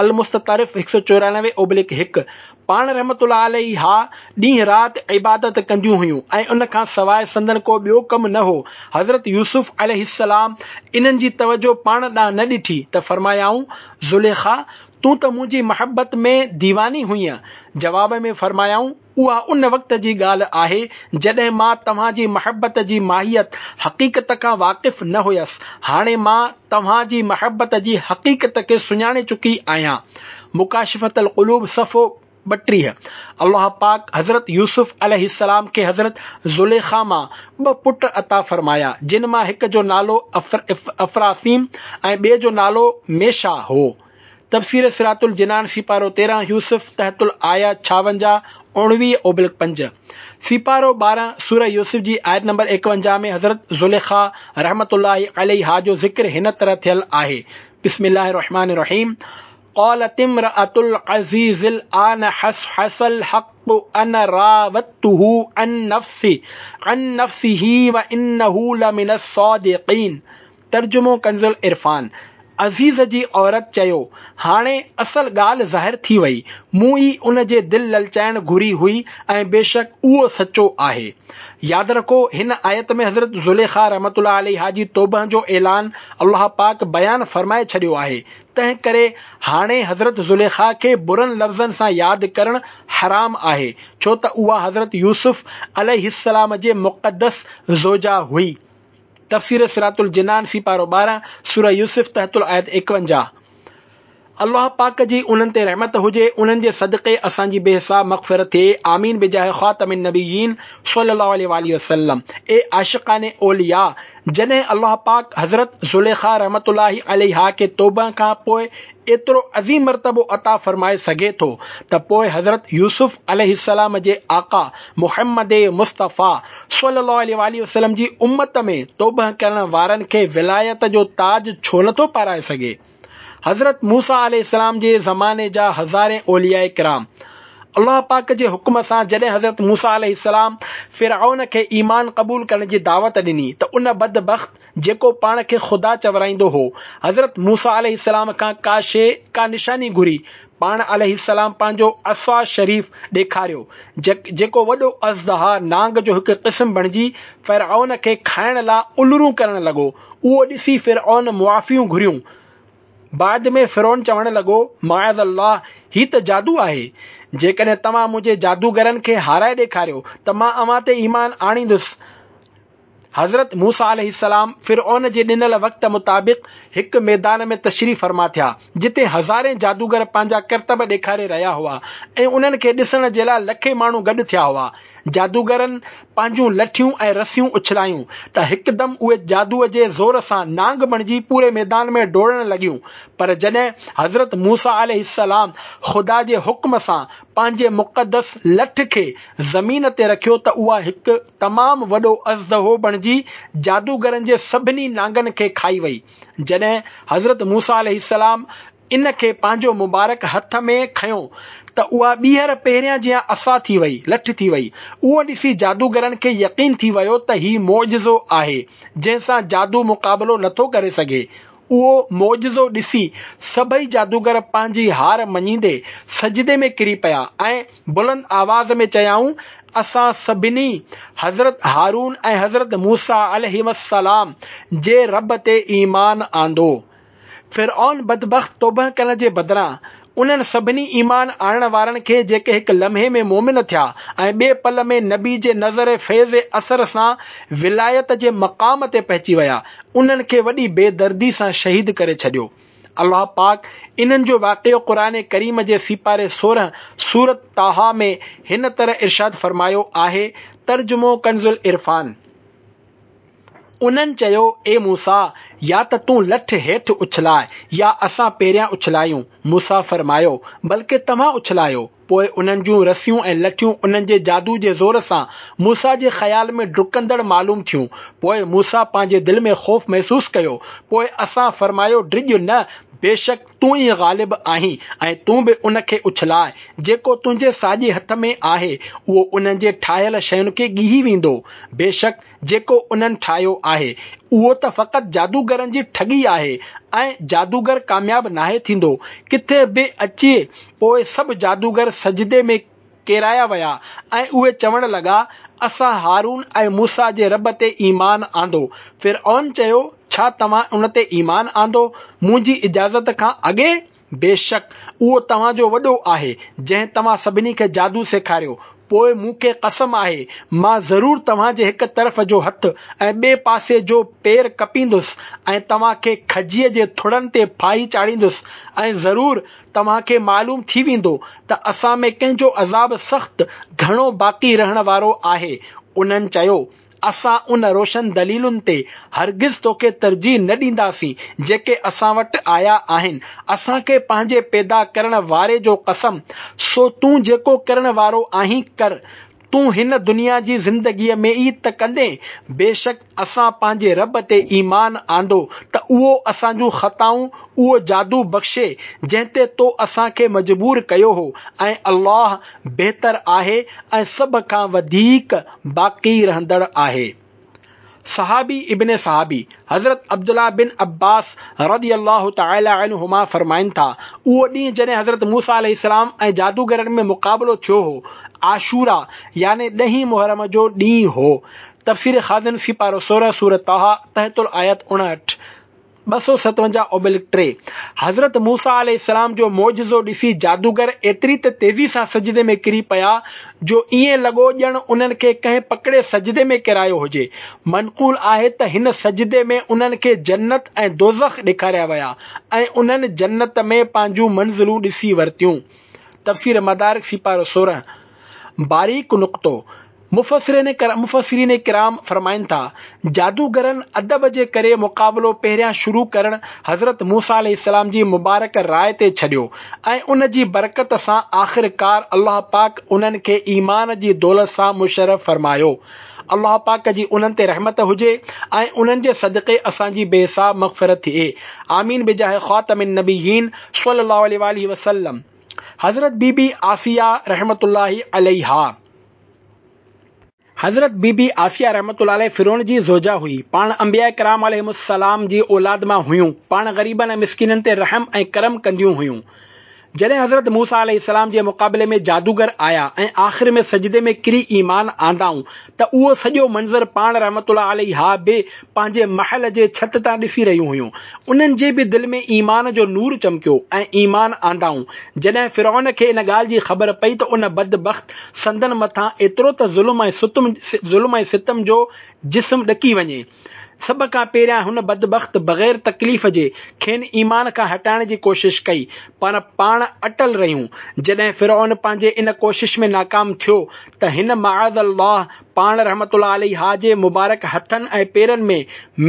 المستطرف 194 اوبليڪ 1 پاڻ رحمة الله عليها ڏينهن رات عبادت ڪنديون هيون ۽ ان کان سواء سندن ڪو ٻيو ڪم نه هو. حضرت يوسف عليه السلام انهن جي توجه پاڻ ڏانهن نه ڏٺي ته فرمايائون، زليخا! تون ته منهنجي محبت ۾ ديواني هئينء. جواب ۾ فرمايائون، اها ان وقت جي ڳالهه آهي جڏهن مان توهان جي محبت جي ماهيت، حقيقت، کان واقف نه هيس، هاڻي مان توهان جي محبت جي حقيقت کي سڃاڻي چڪي آهيان. مڪاشفة القلوب صفحو 32 الله پاڪ حضرت يوسف عليه السلام کي حضرت زليخا مان ٻه پٽ عطا فرمايا، جن مان هڪ جو نالو افراثيم ۽ ٻئي جو نالو ميشا هو. تفسير صراط الجنان سيپارو 13 يوسف تحت الآيه 56 19 اوبلڪ 5 سيپارو 12 سوره يوسف جي آيت نمبر 51 ۾ حضرت زليخا رحمة الله عليها جو ذڪر هن طرح ٿيل آهي بسم الله الرحمن الرحيم قالت امرأة العزيز الآن حصحص الحق أنا راودته عن نفسه عن نفسه وإنه لمن الصادقين ترجمو ڪنزالعرفان، عزيز جي عورت چيو، هاڻي اصل ڳالهه ظاهر ٿي وئي، مون ئي ان جي دل للچائڻ گهري هئي ۽ بيشڪ اهو سچو آهي. ياد رکو هن آيت ۾ حضرت زليخا رحمة الله عليها جي توبه جو اعلان الله پاڪ بيان فرمائي ڇڏيو آهي، تنهن ڪري هاڻي حضرت زليخا کي برن لفظن سان ياد ڪرڻ حرام آهي، ڇو ته اها حضرت يوسف عليه السلام جي مقدس زوجه هئي. تفسير صراط الجنان سيپارو 12 سوره يوسف تحت الآيت 51 الله پاڪ جي انهن تي رحمت هجي انهن جي صدقي اسان جي بي حساب مغفرت ٿئي آمين بجاه خاتم النبيين صلي الله عليه واله وسلم اي عاشقان اولياء جڏهن الله پاڪ حضرت زليخا رحمة الله عليها کي توبه کان پوء ايترو عظيم مرتبو عطا فرمائي سگهي ٿو ته پوء حضرت يوسف عليه السلام جي آقا محمد مصطفيٰ صلي الله عليه واٰله وسلم جي امت ۾ توبه ڪرڻ وارن کي ولايت جو تاج ڇو نه ٿو پارائي سگهي؟ حضرت موسيٰ عليه السلام جي زماني جا هزارين اولياء ڪرام الله پاڪ جي حڪم سان جڏهن حضرت موسيٰ عليه السلام فرعون کي ايمان قبول ڪرڻ جي دعوت ڏني ته ان بدبخت جيڪو پاڻ کي خدا چورائيندو هو، حضرت موسيٰ عليه السلام کان ڪا شيء، ڪا نشاني گهري، پاڻ عليه السلام پنهنجو عصا شريف ڏيکاريو، جيڪو وڏو ازدها، نانگ جو هڪ قسم بڻجي فرعون کي کائڻ لا الرون ڪرڻ لڳو، اهو ڏسي فرعون معافيون گهريون. بعد ۾ فرعون چوڻ لڳو، معاذ الله، هي ته جادو آهي، جيڪڏهن توهان منهنجي جادوگرن کي هارائي ڏيکاريو ته مان اوهان تي ايمان آڻيندس. حضرت موسيٰ عليه السلام فرعون جي ڏنل وقت مطابق هڪ ميدان ۾ تشريف فرما ٿيا، جتي هزارين جادوگر پنهنجا ڪرتب ڏيکاري رهيا هئا ۽ انهن کي ڏسڻ جي لاء لکين ماڻهو گڏ ٿيا هئا. جادوگرن پنهنجون لٺيون ۽ رسيون اڇلايون ته هڪدم اهي جادوء جي زور سان نانگ بڻجي پوري ميدان ۾ ڊوڙڻ لڳيون، پر جڏهن حضرت موسيٰ عليه السلام خدا جي حڪم سان پنهنجي مقدس لٺ کي زمين تي رکيو ته اها هڪ تمام وڏو ازدهو بڻجي جادوگرن جي سڀني نانگن کي کائي وئي. جڏهن حضرت موسيٰ عليه السلام ان کي پنهنجو مبارڪ هٿ ۾ کنيو ته اها ٻيهر پهريان جيان عصا ٿي وئي، لٺ ٿي وئي. اهو ڏسي جادوگرن کي يقين ٿي ويو ته هي معجزو آهي، جنهن سان جادو مقابلو نٿو ڪري سگهي. اهو معجزو ڏسي سڀئي جادوگر پنهنجي هار مڃيندي سجدي ۾ ڪري پيا ۽ بلند آواز ۾ چيائون، اسان سڀني حضرت هارون ۽ حضرت موسيٰ عليهما السلام جي رب تي ايمان آندو. فرعون بدبخت توبه ڪرڻ جي بدران انهن سڀني ايمان آڻڻ وارن کي جيڪي هڪ لمحي ۾ مؤمن ٿيا ۽ ٻئي پل ۾ نبي جي نظر فيض اثر سان ولايت جي مقام تي پهچي ويا، انهن کي وڏي بي دردي سان شهيد ڪري ڇڏيو. الله پاڪ انهن جو واقعو قرآن ڪريم جي سيپاري 16 سورة طٰهٰ ۾ هن طرح ارشاد فرمايو آهي، ترجمو ڪنزالعرفان. انهن چيو، اي موسيٰ! يا ته تون لٺ هيٺ اڇلاء يا اسان پهريان اڇلايون. موسيٰ فرمايو، بلڪه توهان اڇلايو. پوء انهن جون رسيون ۽ لٺيون انهن جي جادو جي زور سان موسيٰ جي خيال ۾ ڊڪندڙ معلوم ٿيون. پوء موسيٰ پنهنجي دل ۾ خوف محسوس ڪيو. پوء اسان فرمايو، ڊڄ نه، بيشڪ تون ئي غالب آهين ۽ تون به ان کي اڇلاء، جيڪو تنهنجي ساڄي هٿ ۾ آهي، اهو انهن جي ٺاهيل شين کي ڳيهي ويندو. بيشڪ جيڪو انهن ٺاهيو آهي، اهو ته فقط جادوگرن جي ٺڳي آهي ۽ جادوگر ڪامياب ناهي ٿيندو. ڪٿي به اچي پوء سڀ جادوگر سجدي ۾ ڪيرايا ويا ۽ اهي چوڻ لڳا، اسان هارون ۽ موسيٰ جي رب تي ايمان آندو. فرعون چيو، ڇا توهان ان تي ايمان آندو منهنجي اجازت کان اڳي؟ بيشڪ اهو توهان جو وڏو آهي، جنهن توهان سڀني کي جادو سيکاريو. پوء مون کي قسم آهي، مان ضرور توهان جي هڪ طرف جو هٿ ۽ ٻئي پاسي جو پير ڪپيندس ۽ توهان کي کجيء جي ٿڙن تي ڦاهي چاڙهيندس ۽ ضرور توهان کي معلوم ٿي ويندو ته اسان ۾ ڪنهن جو عذاب سخت، گهڻو باقي رهڻ وارو، آهي. انهن چيو، اسان ان روشن دليلن تي هرگز توکي ترجيح نه ڏينداسين جيڪي اسان وٽ آيا آهن، اسان کي پنهنجي پيدا ڪرڻ واري جو قسم، سو تون جيڪو ڪرڻ وارو آهين ڪر، تون هن دنيا جي زندگيء ۾ ئي ته ڪندين، بيشڪ اسان پنهنجي رب تي ايمان آندو ته اهو اسان جون خطائون اهو جادو بخشي جنهن تي تو اسان کي مجبور ڪيو هو ۽ الله بهتر آهي ۽ سڀ کان وڌيڪ باقي رهندڙ آهي. صحابي ابن صحابي حضرت عبدالله بن عباس رضي الله تعالٰي عنهما فرمائن ٿا، اهو ڏينهن جڏهن حضرت موسيٰ عليه السلام ۽ جادوگرن ۾ مقابلو ٿيو هو، عاشورا يعني ڏهين محرم جو ڏينهن هو. تفسير خازن سيپارو 16 سورة طه تحت الآيت 59. 257 اوبلڪ 3، حضرت موسيٰ عليه السلام جو معجزو ڏسي جادوگر ايتري ته تيزي سان سجدي ۾ ڪري پيا جو ائين لڳو ڄڻ انهن کي ڪنهن پڪڙي سجدي ۾ ڪيرايو هجي. منقول آهي ته هن سجدي ۾ انهن کي جنت ۽ دوزخ ڏيکاريا ويا ۽ انهن جنت ۾ پنهنجون منزلون ڏسي ورتيون. تفسير مدارڪ سيپارو 16. باريڪ نقطو، مفسرين مفسرين ڪرام فرمائن ٿا، جادوگرن ادب جي ڪري مقابلو پهريان شروع ڪرڻ حضرت موسيٰ عليه السلام جي مبارڪ راء تي ڇڏيو ۽ ان جي برڪت سان آخرڪار الله پاڪ انهن کي ايمان جي دولت سان مشرف فرمايو. الله پاڪ جي انهن تي رحمت هجي ۽ انهن جي صدقي اسان جي بي حساب مغفرت ٿئي. آمين بجاه خاتم النبيين صلي الله عليه واٰله وسلم. حضرت بي بي آسيه رحمة الله عليها. حضرت بي بي آسيه رحمة الله عليه فرعون جي زوجه هئي. پاڻ انبياء ڪرام عليهم السلام جي اولاد مان هيون. پاڻ غريبن ۽ مسڪينن تي رحم ۽ ڪرم ڪنديون هيون. جڏهن حضرت موسيٰ عليه السلام جي مقابلي ۾ جادوگر آيا ۽ آخر ۾ سجدي ۾ ڪري ايمان آندائون ته اهو سڄو منظر پاڻ رحمة الله عليها به پنهنجي محل جي ڇت تان ڏسي رهيون هيون. انهن جي به دل ۾ ايمان جو نور چمڪيو ۽ ايمان آندائون. جڏهن فرعون کي ان ڳالهه جي خبر پئي ته ان بدبخت سندن مٿان ايترو ته ظلم ۽ ستم ظلم ۽ ستم جو جسم ڏڪي وڃي. سڀ کان پهريان هن بدبخت بغير تڪليف جي کين ايمان کان هٽائڻ جي ڪوشش ڪئي پر پاڻ اٽل رهيون. جڏهن فرعون پنهنجي ان ڪوشش ۾ ناڪام ٿيو ته هن معاذ الله پاڻ رحمة الله عليها جي مبارڪ هٿن ۽ پيرن ۾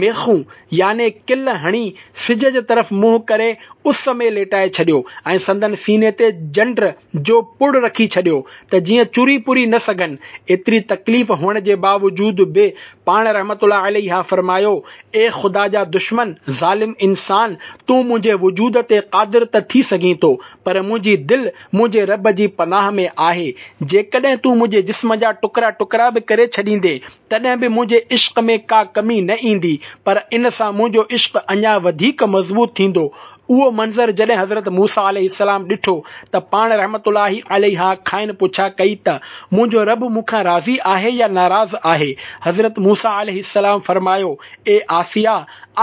ميخون يعني ڪل هڻي سج جي طرف منهن ڪري اس ۾ ليٽائي ڇڏيو ۽ سندن سيني تي جنڊ جو پڙ رکي ڇڏيو ته جيئن چري پري نه سگهن. ايتري تڪليف هئڻ جي باوجود به پاڻ رحمة الله عليها فرمايو، اي خدا جا دشمن، ظالم انسان! تون منهنجي وجود تي قادر ته ٿي سگهين ٿو، پر منهنجي دل منهنجي رب جي پناهه ۾ آهي. جيڪڏهن تون منهنجي جسم جا ٽڪرا ٽڪرا به ڪري ڇڏيندين، تڏهن به منهنجي عشق ۾ ڪا ڪمي نه ايندي، پر ان سان منهنجو عشق اڃا وڌيڪ مضبوط ٿيندو. اهو منظر جڏهن حضرت موسيٰ عليه السلام ڏٺو ته پاڻ رحمة الله عليها کانئن پڇا ڪئي ته منهنجو رب مون کان راضي آهي يا ناراض آهي؟ حضرت موسيٰ عليه السلام فرمايو، اي آسيه!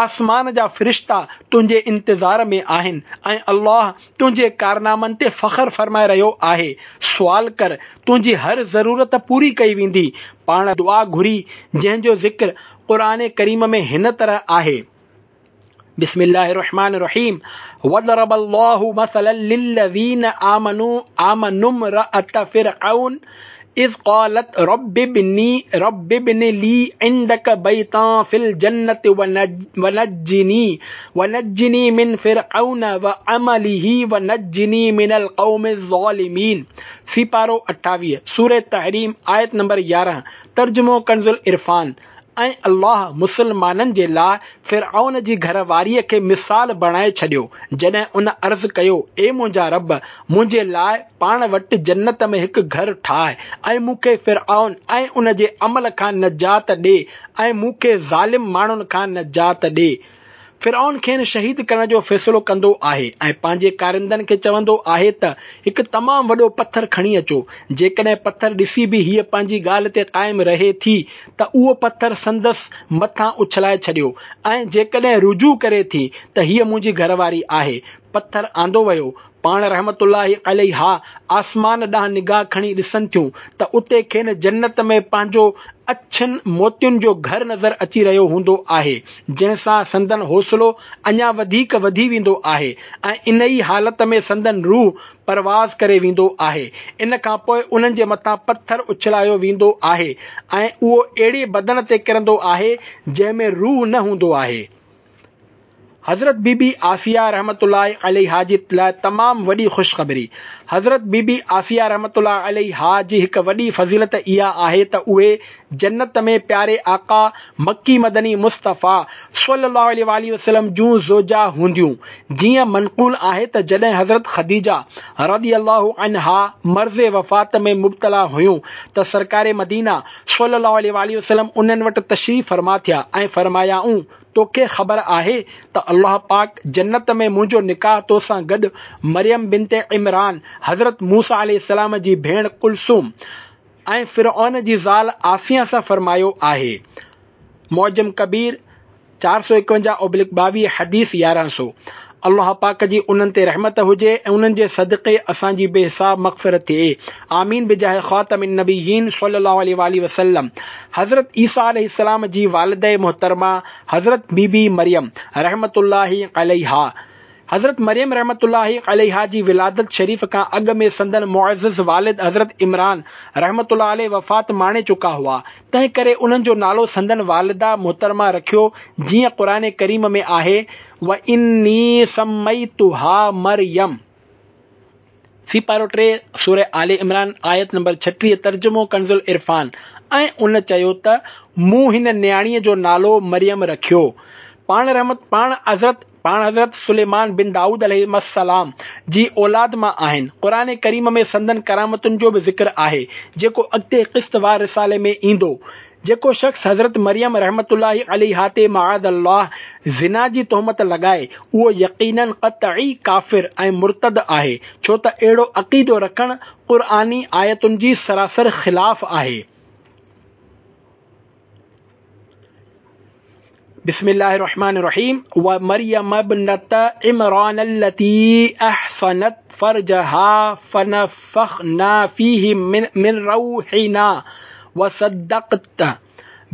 آسمان جا فرشتا تنهنجي انتظار ۾ آهن ۽ الله تنهنجي ڪارنامن تي فخر فرمائي رهيو آهي، سوال ڪر، تنهنجي هر ضرورت پوري ڪئي ويندي. پاڻ دعا گهري جنهن جو ذڪر قرآن ڪريم ۾ هن طرح آهي. بسم الله الرحمن الرحيم وضرب الله مثلا للذين آمنوا آمنوا امرأة فرعون اذ قالت رب ابني رب ابن لي عندک بيتا في الجنة ونجني ونجني من فرعون وعمله ونجني من القوم الظالمين سيپارو 28، سوره تحريم آيت نمبر 11، ترجمو ڪنزالعرفان، ۽ الله مسلمانن جي لاء فرعون جي گهر واريء کي مثال بڻائي ڇڏيو، جڏهن ان عرض ڪيو، اي منهنجا رب! منهنجي لاء پاڻ وٽ جنت ۾ هڪ گهر ٺاهه ۽ مون کي فرعون ۽ ان جي عمل کان نجات ڏي ۽ مون کي ظالم ماڻهن کان نجات ڏي. فرعون کين شهيد ڪرڻ جو فيصلو ڪندو آهي ۽ پنهنجي ڪارندن کي چوندو آهي ته هڪ تمام وڏو پٿر کڻي اچو، جيڪڏهن پٿر ڏسي به هيء پنهنجي ڳالهه تي قائم رهي ٿي ته اهو پٿر سندس مٿان اڇلائي ڇڏيو ۽ جيڪڏهن رجوع ڪري ٿي ته هيء منهنجي گهر واري آهي. پٿر آندو ويو. پاڻ رحمة الله عليها آسمان ڏانهن نگاهه کڻي ڏسن ٿيون ته اتي کين جنت ۾ پنهنجو اڇن موتين جو گهر نظر اچي رهيو هوندو آهي، جنهن سان سندن حوصلو اڃا وڌيڪ وڌي ويندو آهي ۽ انهي حالت ۾ سندن روح پرواز ڪري ويندو آهي. ان کان پوء انهن جي مٿان پٿر اڇلايو ويندو آهي ۽ اهو اهڙي بدن تي ڪرندو آهي، جنهن ۾ روح نه هوندو آهي. حضرت بي بي آسيه رحمة الله عليها جي لاء تمام وڏي خوشخبري حضرت بي بي آسيه رحمة الله عليها جي هڪ وڏي فضيلت اها آهي ته اهي جنت ۾ پياري آقا مڪي مدني مصطفيٰ صلّي الله عليه واٰله وسلّم جون زوجه هونديون جيئن منقول آهي ته جڏهن حضرت خديجه رضي الله عنها مرض وفات ۾ مبتلا هيون ته سرڪار مدينه صلّي الله عليه واٰله وسلّم انهن وٽ تشريف فرما ٿيا ۽ فرمايائون توکي خبر آهي ته الله پاڪ جنت ۾ منهنجو نڪاح توسان گڏ مريم بنت عمران، حضرت موسيٰ عليه السلام جي ڀيڻ ڪلثوم ۽ فرعون جي زال آسيه سان فرمايو آهي. معجم ڪبير، 451/22 حديث 1100. الله پاڪ جي انهن تي رحمت هجي ۽ انهن جي صدقي اسان جي بي حساب مغفرت ٿئي آمين بجاه خاتم النبيين صلي الله عليه واٰله وسلم حضرت عيسيٰ عليه السلام جي والده محترمه حضرت بي بي مريم رحمة الله عليها حضرت مريم رحمة الله عليها جي ولادت شريف کان اڳ ۾ سندن معزز والد حضرت عمران رحمة الله عليه وفات ماڻي چڪا هئا تنهن ڪري انهن جو نالو سندن والده محترمه رکيو جيئن قرآن ڪريم ۾ آهي واني سميتها مريم. سيپارو 3 سوره آل عمران آيت نمبر 36 ترجمو ڪنزالعرفان ۽ ان چيو ته مون هن نياڻيء جو نالو مريم رکيو. پاڻ رحمت پاڻ حضرت پاڻ حضرت سليمان بن دائود عليهما السلام جي اولاد مان آهن. قرآن ڪريم ۾ سندن ڪرامتن جو به ذڪر آهي، جيڪو اڳتي قسط وار رسالي ۾ ايندو. جيڪو شخص حضرت مريم رحمة الله عليها تي معاذ الله زنا جي تهمت لڳائي، اهو يقيناً قطعي ڪافر ۽ مرتد آهي، ڇو ته اهڙو عقيدو رکڻ قرآني آيتن جي سراسر خلاف آهي. بسم الله الرحمن الرحيم ومريم ابنة عمران التي أحصنت فرجها فنفخنا فيه من, من روحنا وصدقت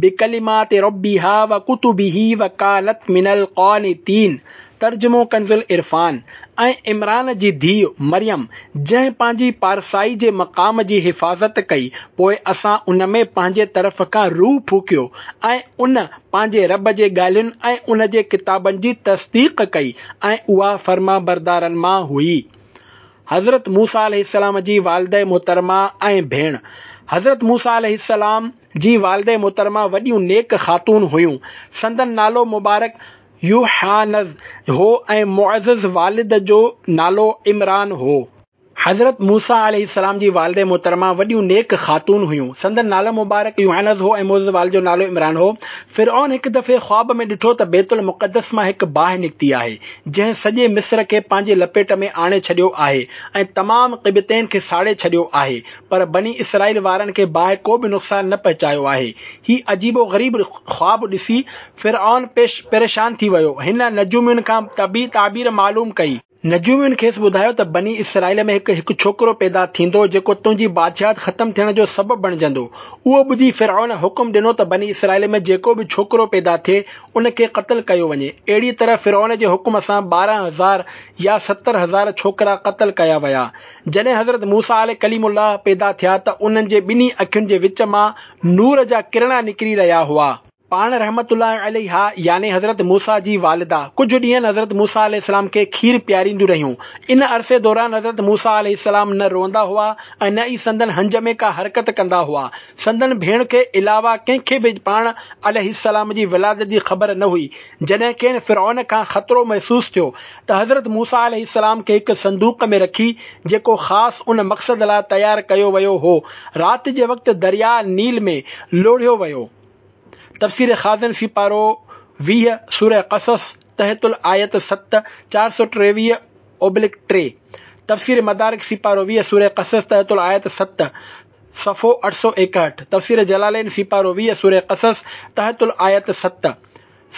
بڪلمات ربها وڪتبه وڪانت من القانتين ترجمو ڪنزالعرفان، ۽ عمران جي ڌيء مريم جنهن پنهنجي پارسائي جي مقام جي حفاظت ڪئي پوء اسان ان ۾ پنهنجي طرف کان روح ڦوڪيو ۽ ان پنهنجي رب جي ڳالهين ۽ ان جي ڪتابن جي تصديق ڪئي ۽ اها فرمانبردارن مان هئي. حضرت موسيٰ عليه السلام جي والده محترمه ۽ ڀيڻ حضرت موسيٰ عليه السلام جي والده محترمه وڏيون نيڪ خاتون هيون. سندن نالو مبارڪ يوحانز هو ۽ معزز والد جو نالو عمران هو. حضرت موسيٰ عليه السلام جي والده محترمه وڏيون نيڪ خاتون هيون. سندن نالو مبارڪ يوحانز هو ۽ معزز والد جو نالو عمران هو. فرعون هڪ دفعي خواب ۾ ڏٺو ته بيت المقدس مان هڪ باهه نڪتي آهي، جنهن سڄي مصر کي پنهنجي لپيٽ ۾ آڻي ڇڏيو آهي ۽ تمام قبطين کي ساڙي ڇڏيو آهي، پر بني اسرائيل وارن کي باهه ڪو به نقصان نه پهچايو آهي. هي عجيب و غريب خواب ڏسي فرعون پريشان ٿي ويو. هن نجومين کان طبعي تعبير معلوم ڪئي. نجومين کيس ٻڌايو ته بني اسرائيل ۾ هڪ هڪ ڇوڪرو پيدا ٿيندو جيڪو تنهنجي بادشاهت ختم ٿيڻ جو سبب بڻجندو. اهو ٻڌي فرعون حڪم ڏنو ته بني اسرائيل ۾ جيڪو به ڇوڪرو پيدا ٿئي ان کي قتل ڪيو وڃي. اهڙيء طرح فرعون جي حڪم سان 12 هزار يا 70 هزار ڇوڪرا قتل ڪيا ويا. جڏهن حضرت موسيٰ عليه ڪليم الله پيدا ٿيا ته انهن جي ٻنهي اکين جي وچ مان نور جا ڪرڻا نڪري رهيا هئا. پاڻ رحمة الله عليها يعني حضرت موسيٰ جي والده ڪجهه ڏينهن حضرت موسيٰ عليه السلام کي کير پيارينديون رهيون. ان عرصي دوران حضرت موسيٰ عليه السلام نه روئندا هئا ۽ نه ئي سندن هنج ۾ ڪا حرڪت ڪندا هئا. سندن ڀيڻ کي علاوه ڪنهن کي به پاڻ عليه السلام جي ولادت جي خبر نه هئي. جڏهن کين فرعون کان خطرو محسوس ٿيو ته حضرت موسيٰ عليه السلام کي هڪ صندوق ۾ رکي جيڪو خاص ان مقصد لاء تيار ڪيو ويو هو رات جي وقت درياء نيل ۾ لوڙهيو ويو. تفسير خازن سيپارو 20، سوره قصص، تحت الآيت 7، 423/3، تفسير مدارڪ سيپارو 20، سوره قصص، تحت الآيت 7، صفحو 861، تفسير جلالين سيپارو 20، سوره قصص، تحت الآيت 7،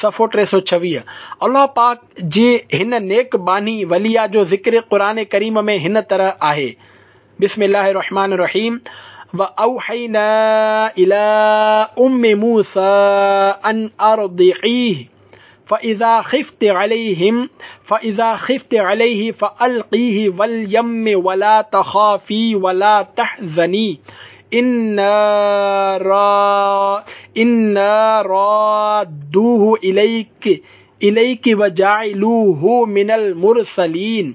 صفحو 326. الله پاڪ جي هن نيڪ ٻانهي وليه جو ذڪر قرآن ڪريم ۾ هن طرح آهي. بسم الله الرحمن الرحيم واوحينا الي ام موسى ان ارضعيه فاذا خفت عليهم فاذا خفت عليه فالقيه واليم ولا تخافي ولا تحزني انا را انا رادوه اليك اليڪ وجاعلوه من المرسلين،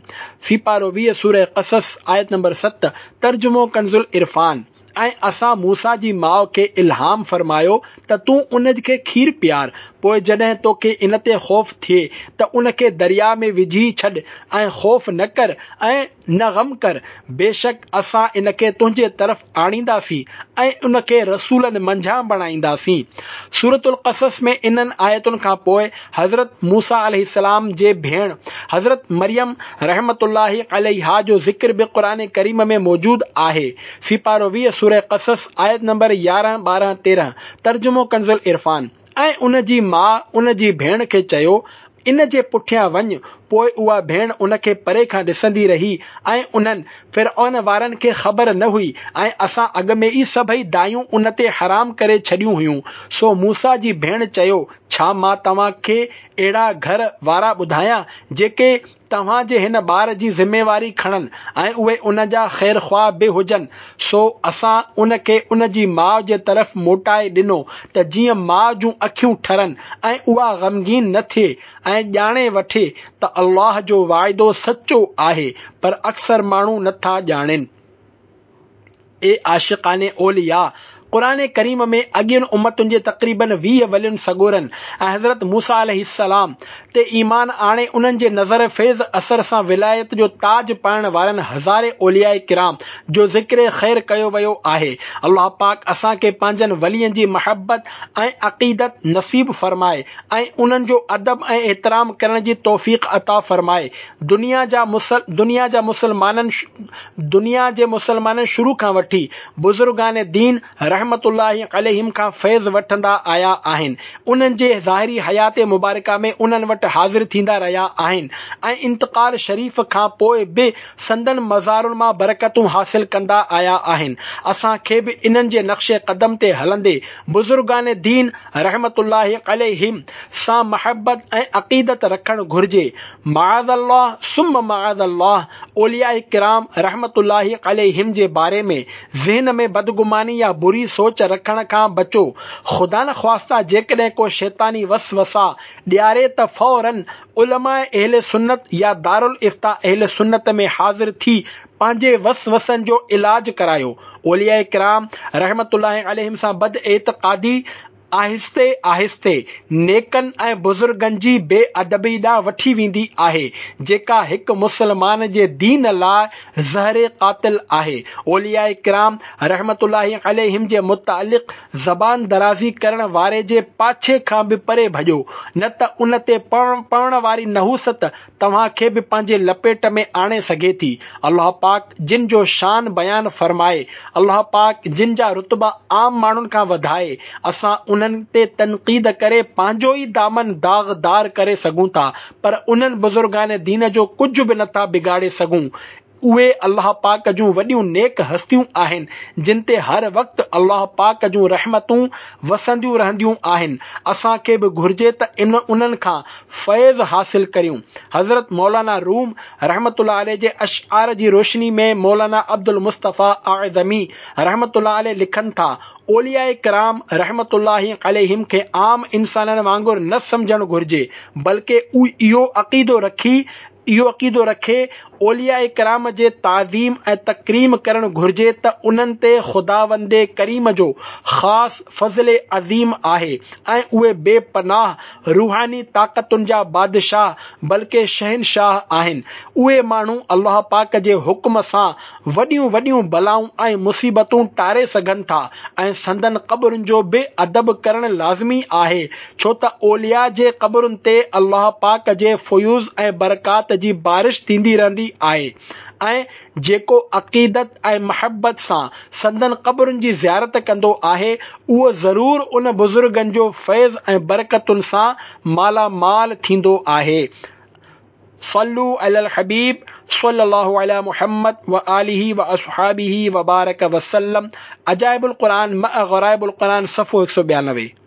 سيپارو 20 سوره قصص آيت نمبر 7، ترجمو ڪنزالعرفان، ۽ اسان موسيٰ جي ماء کي الهام فرمايو ته تون ان کي کير پيار، پوء جڏهن توکي ان تي خوف ٿئي ته ان کي درياء ۾ وجهي ڇڏ ۽ خوف نه ڪر ۽ نه غم ڪر، بيشڪ اسان ان کي تنهنجي طرف آڻينداسين ۽ ان کي رسولن منجهان بڻائينداسين. سورة القصص ۾ انهن آيتن کان پوء حضرت موسيٰ عليه السلام جي ڀيڻ حضرت مريم رحمة الله عليها جو ذڪر به قرآن ڪريم ۾ موجود آهي. سيپارو 20 سورة قصص آيت نمبر 11، 12، 13، ترجمو ڪنزالعرفان، ۽ ان جي ماء ان جي ڀيڻ کي چيو، ان جي پٺيان وڃ، پوء اها ڀيڻ ان کي پري کان ڏسندي رهي ۽ انهن، فرعون وارن، کي خبر نه هئي ۽ اسان اڳ ۾ ئي سڀئي دايون ان تي حرام ڪري ڇڏيون هيون. سو موسيٰ جي ڀيڻ چيو، ڇا مان توهان کي اهڙا گهر وارا ٻڌايان، جيڪي توهان جي هن ٻار جي ذميواري کڻن ۽ اهي ان جا خيرخواهه به هجن، سو اسان ان کي ان جي ماء جي طرف موٽائي ڏنو ته جيئن ماء جون اکيون ٺرن ۽ اها غمگين نه ٿئي ۽ ڄاڻي وٺي ته الله جو وعدو سچو آهي پر اڪثر ماڻهو نه ٿا ڄاڻين. اي عاشقان اولياء! قرآن ڪريم ۾ اڳين امتن جي تقريباً 20 ولين سڳورن ۽ حضرت موسيٰ عليه السلام تي ايمان آڻي انهن جي نظر فيض اثر سان ولايت جو تاج پائڻ وارن هزارين اولياء ڪرام جو ذڪر خير ڪيو ويو آهي. الله پاڪ اسان کي پنهنجن ولين جي محبت ۽ عقيدت نصيب فرمائي ۽ انهن جو ادب ۽ احترام ڪرڻ جي توفيق عطا فرمائي. دنيا جا دنيا جا مسلمانن دنيا جي مسلمانن شروع کان وٺي بزرگان دين رحمة الله عليهم کان فيض وٺندا آيا آهن، انهن جي ظاهري حيات مبارڪه ۾ انهن وٽ حاضر ٿيندا رهيا آهن ۽ انتقال شريف کان پوء به سندن مزارن مان برڪتون حاصل ڪندا آيا آهن. اسان کي به انهن جي نقش قدم تي هلندي بزرگان دين رحمة الله عليهم سان محبت ۽ عقيدت رکڻ گهرجي. معاذ الله ثم معاذ الله اولياء ڪرام رحمة الله عليهم جي باري ۾ ذهن ۾ بدگماني يا بري سوچ رکڻ کان بچو. خدانخواسته جيڪڏهن ڪو شيطاني وسوسا ڏياري ته فوراً علماء اهل سنت يا دارالافتاء اهل سنت ۾ حاضر ٿي پنهنجي وسوسن جو علاج ڪرايو. اولياء ڪرام رحمة الله عليهم سان بداعتقادي آهستي آهستي نيڪن ۽ بزرگن جي بي ادبي ڏانهن وٺي ويندي آهي، جيڪا هڪ مسلمان جي دين لاء زهر قاتل آهي. اولياء ڪرام رحمة الله عليهم جي متعلق زبان درازي ڪرڻ واري جي پاڇي کان به پري ڀڄو، نه ته ان تي پوڻ واري نحوست توهان کي به پنهنجي لپيٽ ۾ آڻي سگهي ٿي. الله پاڪ جن جو شان بيان فرمائي، الله پاڪ جن جا رتبا عام ماڻهن کان وڌائي، اسان انهن. انهن تي تنقيد ڪري پنهنجو ئي دامن داغدار ڪري سگهون ٿا پر انهن بزرگان دين جو ڪجهه به نٿا بگاڙي سگهون. اهي الله پاڪ جون وڏيون نيڪ هستيون آهن جن تي هر وقت الله پاڪ جون رحمتون وسنديون رهنديون آهن. اسان کي به گهرجي ته انهن کان فيض حاصل ڪريون. حضرت مولانا روم رحمة الله عليه جي اشعار جي روشني ۾ مولانا عبدالمصطفيٰ اعظمي رحمة الله عليه لکن ٿا، اولياء ڪرام رحمة الله عليهم کي عام انسانن وانگر نه سمجهڻ گهرجي بلڪه اهو عقيدو رکي اهو عقيدو رکي اولياء ڪرام جي تعظيم ۽ تڪريم ڪرڻ گهرجي ته انهن تي خداوند ڪريم جو خاص فضل عظيم آهي ۽ اهي بي پناهه روحاني طاقتن جا بادشاهه بلڪه شهنشاهه آهن. اهي ماڻهو الله پاڪ جي حڪم سان وڏيون وڏيون بلائون ۽ مصيبتون ٽاري سگهن ٿا ۽ سندن قبرن جو به ادب ڪرڻ لازمي آهي ڇو ته اولياء جي قبرن تي الله پاڪ جي فيوض ۽ برڪات جي بارش ٿيندي رهندي آهي ۽ جيڪو عقيدت ۽ محبت سان سندن قبرن جي زيارت ڪندو آهي اهو ضرور ان بزرگن جو فيض ۽ برڪتن سان مالا مال ٿيندو آهي. صلو علي الحبيب صلي الله علي محمد وآله واصحابه وبارڪ وسلم عجائب القرآن مع غرائب القرآن صفحو 192.